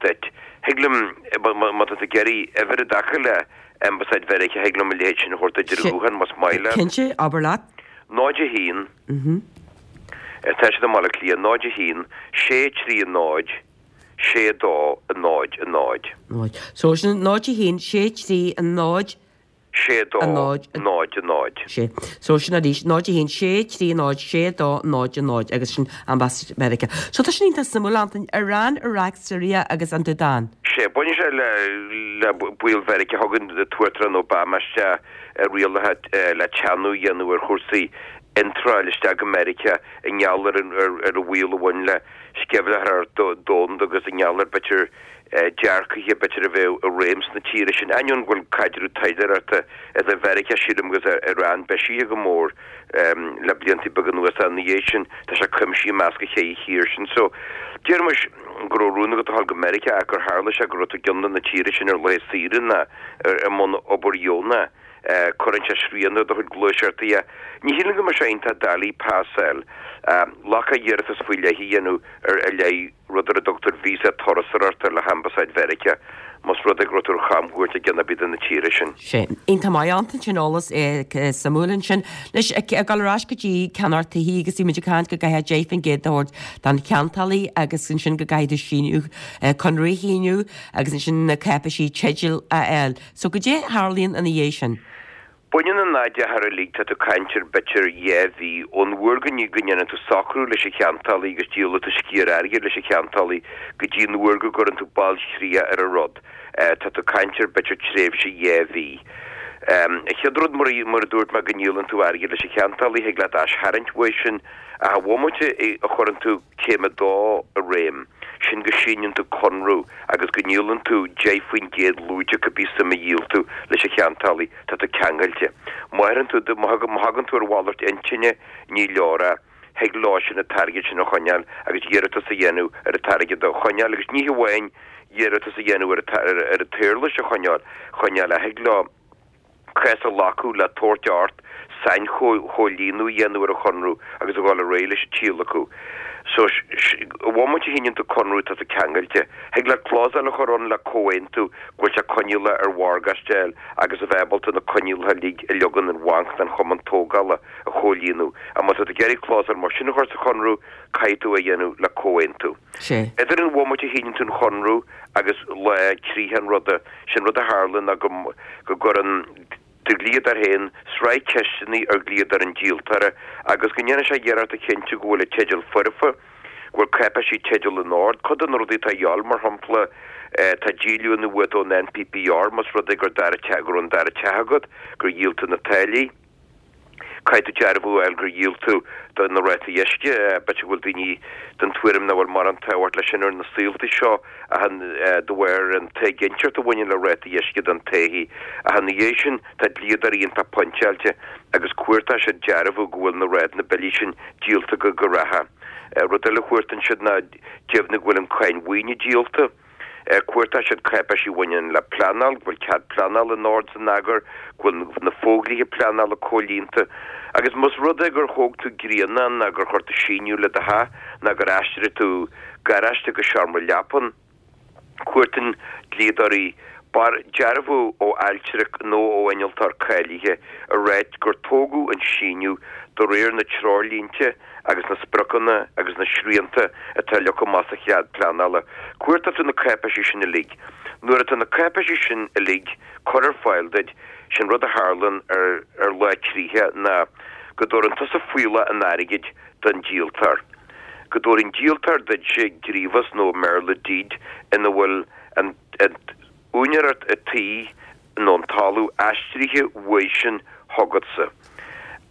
N: duit. Thig liom, má tá tú ag iarraidh uimhir i dtaca le Ambasáid Mheiriceá, thig liom a leithéid sin a thabhairt duit ar an ghuthán más maith leat.
A: Cinnte, abair leat.
N: 0 1. Tá siad i mBaile Átha Cliath, 0 1 6 3 0 6 2 0 0.
A: 0. So sin 0 1 6 3 0
N: 6 2 0 0.
A: 6. So sin arís 0 1 6 3 0 6 2 0 0 agus sin Ambasáid Mheiriceá. So tá sin iontach suimiúil, Antain, Iran, Iraq, Syria agus an tSúdáin.
N: Sea, baineann sé le baol Mheiriceá. Thug an tUachtarán Obama isteach rialacha le teannadh a dhéanamh ar chúrsaí iontráil isteach go Meiriceá i ngeall ar an bhaol a bhain le sceimhlitheoireacht domhanda agus i ngeall ar b'fhéidir dearcaithe b'fhéidir a bheadh i réim sna tíortha sin. Ainneoin go bhfuil caidreamh taidhleoireachta idir Mheiriceá, sílim, agus Iran beisithe go mór le blianta beaga anuas ach ina dhiaidh sin tá sé cuimsithe i measc an cheithre thír sin. So, déarfaimis go raibh rún agat a dhul go Meiriceá ach gur tharla sé go raibh tú i gceann de na tíortha sin ar laetha saoire ná i mbun obair dheonach. Cuireann sé srian ar do chuid gluaiseachtaí. Ní shílim go mbeadh sé iontach doiligh pas a fháil. Glacadh iarratas faoi leith a dhéanamh ar i leith rud ar a dtugtar víosa turasóireachta le hAmbasáid Mheiriceá, más rud é go raibh tú ar chamchuairt i gceann ar bith de na tíortha sin.
A: Sea. Iontach maith, Antain, sin eolas suimiúil ansin. Anois, ag dul ar ais go dtí ceannacht tithe agus bhí muid ag caint go gcaithfeá 10% a thabhairt don cheantálaí agus ansin go gcaithfidh tú síniú, conradh a shíniú agus ansin na cáipeisí teidil a fháil. So goidé a tharlaíonn ina dhiaidh sin?
N: Baineann an achar uilig, tá tú ag caint ar b'fhéidir 2 mhí, ón uair go ndéanann tú socrú leis an cheantálaí agus díolann tú sciar airgid leis an cheantálaí go dtí an uair go gcuireann tú bailchríoch ar an rud, tá tú ag caint ar b'fhéidir tréimhse 2 mhí. An chéad rud, mar a dúirt mé, go ndíolann tú airgead leis an cheantálaí, thig leat aistarraingt uaidh sin, ach an bhomaite a chuireann tú Céim 2 i réim, sin go síneann tú conradh agus go ndíolann tú 10% lúide cibé suim a dhíol tú leis an cheantálaí, tá tú ceangailte. Má athraíonn tú, má thagann tú ar mhalairt intinne, ní leor é. Thig leo sin an t-airgead sin a choinneáil agus iarratas a dhéanamh ar an t-airgead a choinneáil agus ní hamháin iarratas a dhéanamh ar an t-éarlais a choinneáil, choinneáil ach thig leo cás a ghlacadh le tabhairt ort sainchomhlíonadh a dhéanamh ar an chonradh agus a dhul ar aghaidh leis an tíolacadh. So, an bhomaite a shíneann tú conradh tá tú ceangailte. Thig leat clásal a chur ann le comhaontú go bhfuil sé coinníollach ar mhorgáiste a fháil agus a bheith ábalta na coinníollacha uilig a leagann an bhanc don chumann tógála a chomhlíonadh. Ach má tá tú ag iarraidh clásal mar sin a chur sa chonradh, caithfidh tú é a dhéanamh le comhaontú. Idir an bhomaite a shíneann tú an chonradh agus lá críche an ruda, Sé'n rud a tharla ná go go gcuireann do dhlíodóir féin sraith ceisteanna ar dhlíodóir an díoltóra agus go ndéanann sé iarracht a chinntiú go bhfuil an teideal foirfe, go bhfuil cáipéisí teidil in ord. Cuid de na rudaí atá a dhíobháil, mar shampla, tá díolúine uait ón NPPR más rud é gur dara teach, go raibh an dara teach agat, gur dhíol tú na táillí. Caithfidh tú dearbhú a fháil gur dhíol tú do na rátaí uisce. B'fhéidir go bhfuil daoine den tuairim nach bhfuil mórán tábhacht leis sin ar na saolta seo ach de bharr an t-éiginnteacht a bhaineann le rátaí uisce don todhchaí. Ach ina dhiaidh sin, tá dlíodóirí iontach pointeáilte agus cuartóidh siad dearbhú go bhfuil na rátaí, na billí sin díolta go reatha. Rud eile a chuartaíonn siad ná deimhniú go bhfuil an cáin mhaoine díolta. Cuartóidh siad cáipéisí a bhaineann le pleanáil, go bhfuil cead pleanála in ord 's in eagar, go bhfuil na fodhlíthe pleanála comhlíonta. Agus más rud é gur thóg tú grianán ná gur chuir tú síneadh le do theach ná gur aistrigh tú garáiste go seomra leapan, cuartaíonn dlíodóirí. Bar dearbhú ó ailtire nó ó innealtóir cáilithe ag ráit gur tógadh an síneadh de réir na treoirlínte agus na spriocanna agus na srianta atá leagtha amach sa chead pleanála. Cuartóidh tú na cáipéisí sin uilig. Nuair atá na cáipéisí sin uilig curtha ar fáil duit, sin rud a tharlann ar ar lá críche ná go dtabharann tusa fuíollach an airgid don díoltóir. Go dtabharann an díoltóir duitse gríobhas nó i mBéarla deed ina bhfuil an úinéireacht an tí nó an talamh aistrithe uaidhsean chugatsa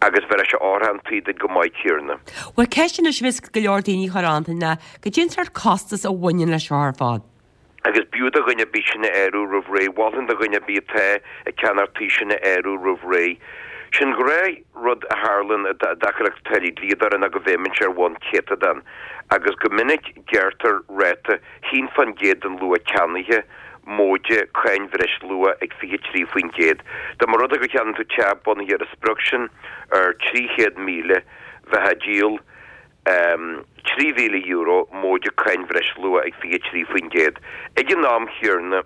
N: agus bhéarfaidh sé órtha an tí duit go maith céarna.
A: Bhuel, ceist anois a bheas go leor daoine a chur Antain ná, goidé an sórt costas a bhaineann leis seo ar fad?
N: Agus b'fhiú do dhuine ar bith sin a áireamh roimh ré. Mholfainn do dhuine ar bith atá ag ceannacht tí sin a áireamh roimh ré. Sin gnáth rud a tharlann i dtaca le táillí dlíodóra ná go bhfeidhmeann sé ar bhonn céatadán agus go minic gearrtar ráta 1% den luach ceannaithe, móide cáin bhreisluacha ag 23%. Dá mba rud é gur cheannaigh tú teach bunaithe ar an sprioc sin ar 300,000, bheifeá ag díol €3,000 móide cáin bhreisluacha ag 23%. Ag an am chéarna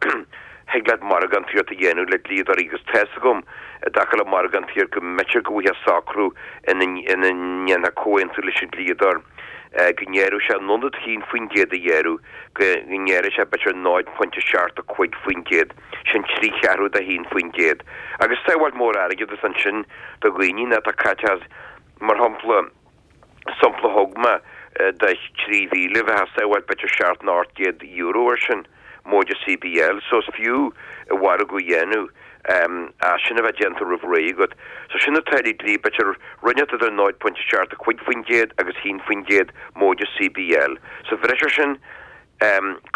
N: thig leat margántaíocht a dhéanamh le dlíodóirí agus tá's agam i dtaca le margántaíocht go mb'fhéidir go bhfaighfeá socrú ina ndéanfá comhaontú leis an dlíodóir. go ngearrfadh sé in ionad 1% a ghearradh, go ngearrfadh sé b'fhéidir 0.75%, sin trí cheathrú de 1%. Agus sábháilt mór airgeadas ansin do dhaoine ná tá caiteachas, mar shampla, sampla a thug mé de 3,000, bheifeá ag sábháilt b'fhéidir seacht nó €800 air sin. móide CBL, so is fiú an margadh a dhéanamh as sin a bheith déanta roimh ré agat. So sin na táillí dlí, b'fhéidir rud inteacht idir 0.75% agus 1% móide CBL. Sa bhreis ar sin,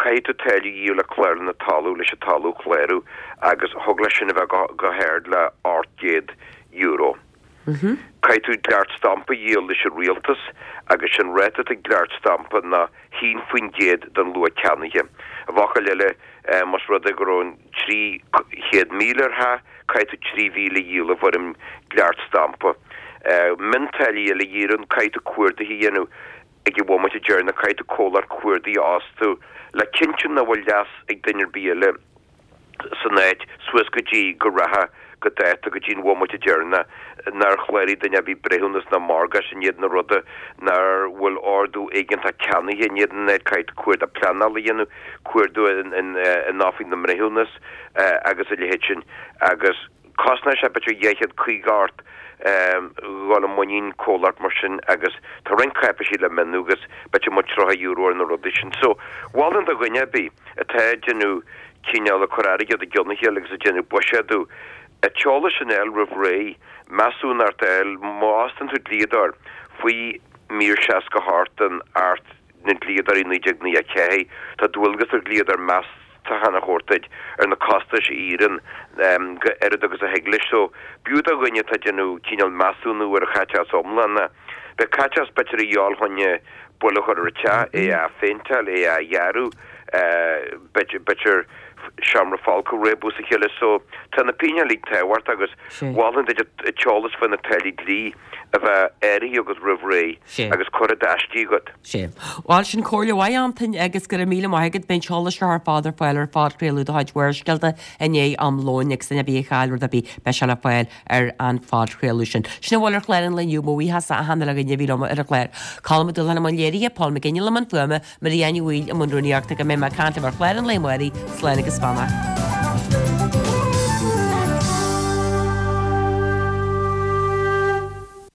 N: caithfidh tú táille a dhíol le Clárlann na Talún leis an talamh a chlárú agus thig leis sin a bheith go hard le €800. Caithfidh tú dleacht stampa a dhíol leis an rialtas agus sin ráta atá ag dleacht stampa ná 1% den luach ceannaithe. I bhfocail eile, más rud é go raibh an 300,000 ar theach, caithfidh tú 3,000 a dhíol i bhfoirm dleacht stampa. Miontáillí eile a dhíolann, caithfidh tú cuardaithe a dhéanamh ag an bhomaite deireanach, caithfidh tú comhlacht cuardaigh a fhostú le cinntiú nach bhfuil leas ag duine ar bith eile. san áit suas go dtí go rachadh go dáta go dtí an bhomaite deireanach nár chláraigh duine ar bith breithiúnas ná morgáiste in éadan an ruda, nár bhfuil ordú éigeantach ceannaithe in éadan an áit, caithfidh tú cuardach pleanála a dhéanamh, cuardú in Oifig na mBreithiúnas agus a leithéid sin agus. Cosnóidh sé b'fhéidir 250 ort dhul i muinín comhlacht mar sin agus tá roinnt cáipéisí le mionnú agus b'fhéidir amuigh €30 ar na rudaí sin. So, mholfainn do dhuine ar bith atá ag déanamh cineál ag cur airgead i gcionn a chéile agus ag déanamh buiséadú, an t-eolas sin a fháil roimh ré, measúnacht a fháil, má fhostaíonn tú dlíodóir faoi mír 68 den Acht na nDlíodóirí 1994, tá dualgas ar dhlíodóir meastachán a thabhairt duit ar na costais a éiríonn go oiread agus a thig leis. So, b'fhiú do dhuine atá ag déanamh cineál measúnú ar an chaiteachas iomlán. Beidh caiteachas b'fhéidir a dhíobháil chun buille a chur ar an teach, é a phéinteáil, é a dhearadh, b'fhéidir seomra folctha a réabadh is a chéile. So, tá na pingin uilig tábhachtach agus mholfainn duit an t-eolas faoi na táillí dlí a bheith áirithe agat roimh ré agus curtha i d'aistí agat.
A: Sea. Bhuel, sin comhairle mhaith, Antain, agus go raibh míle maith agat. Beidh an t-eolas seo ar fad ar fáil ar phodchraoladh de chuid Bharrscéalta i ndiaidh am lóin agus duine ar bith a chaill rud ar bith, beidh sé le fáil ar an phodchraoladh sin. Sin a bhfuil ar chlár an lae inniu. Mo bhuíochas achan uile dhuine a bhí liom ar an chlár. Colm Ó Dúlacháin i mbun léirithe, Paul McGinley i mbun fuaime, Marie Anne Ní Bhaoill i mbun rúnaíochta. Go mbeidh mé ag caint libh ar chlár an lae amárach. Slán agus beannacht.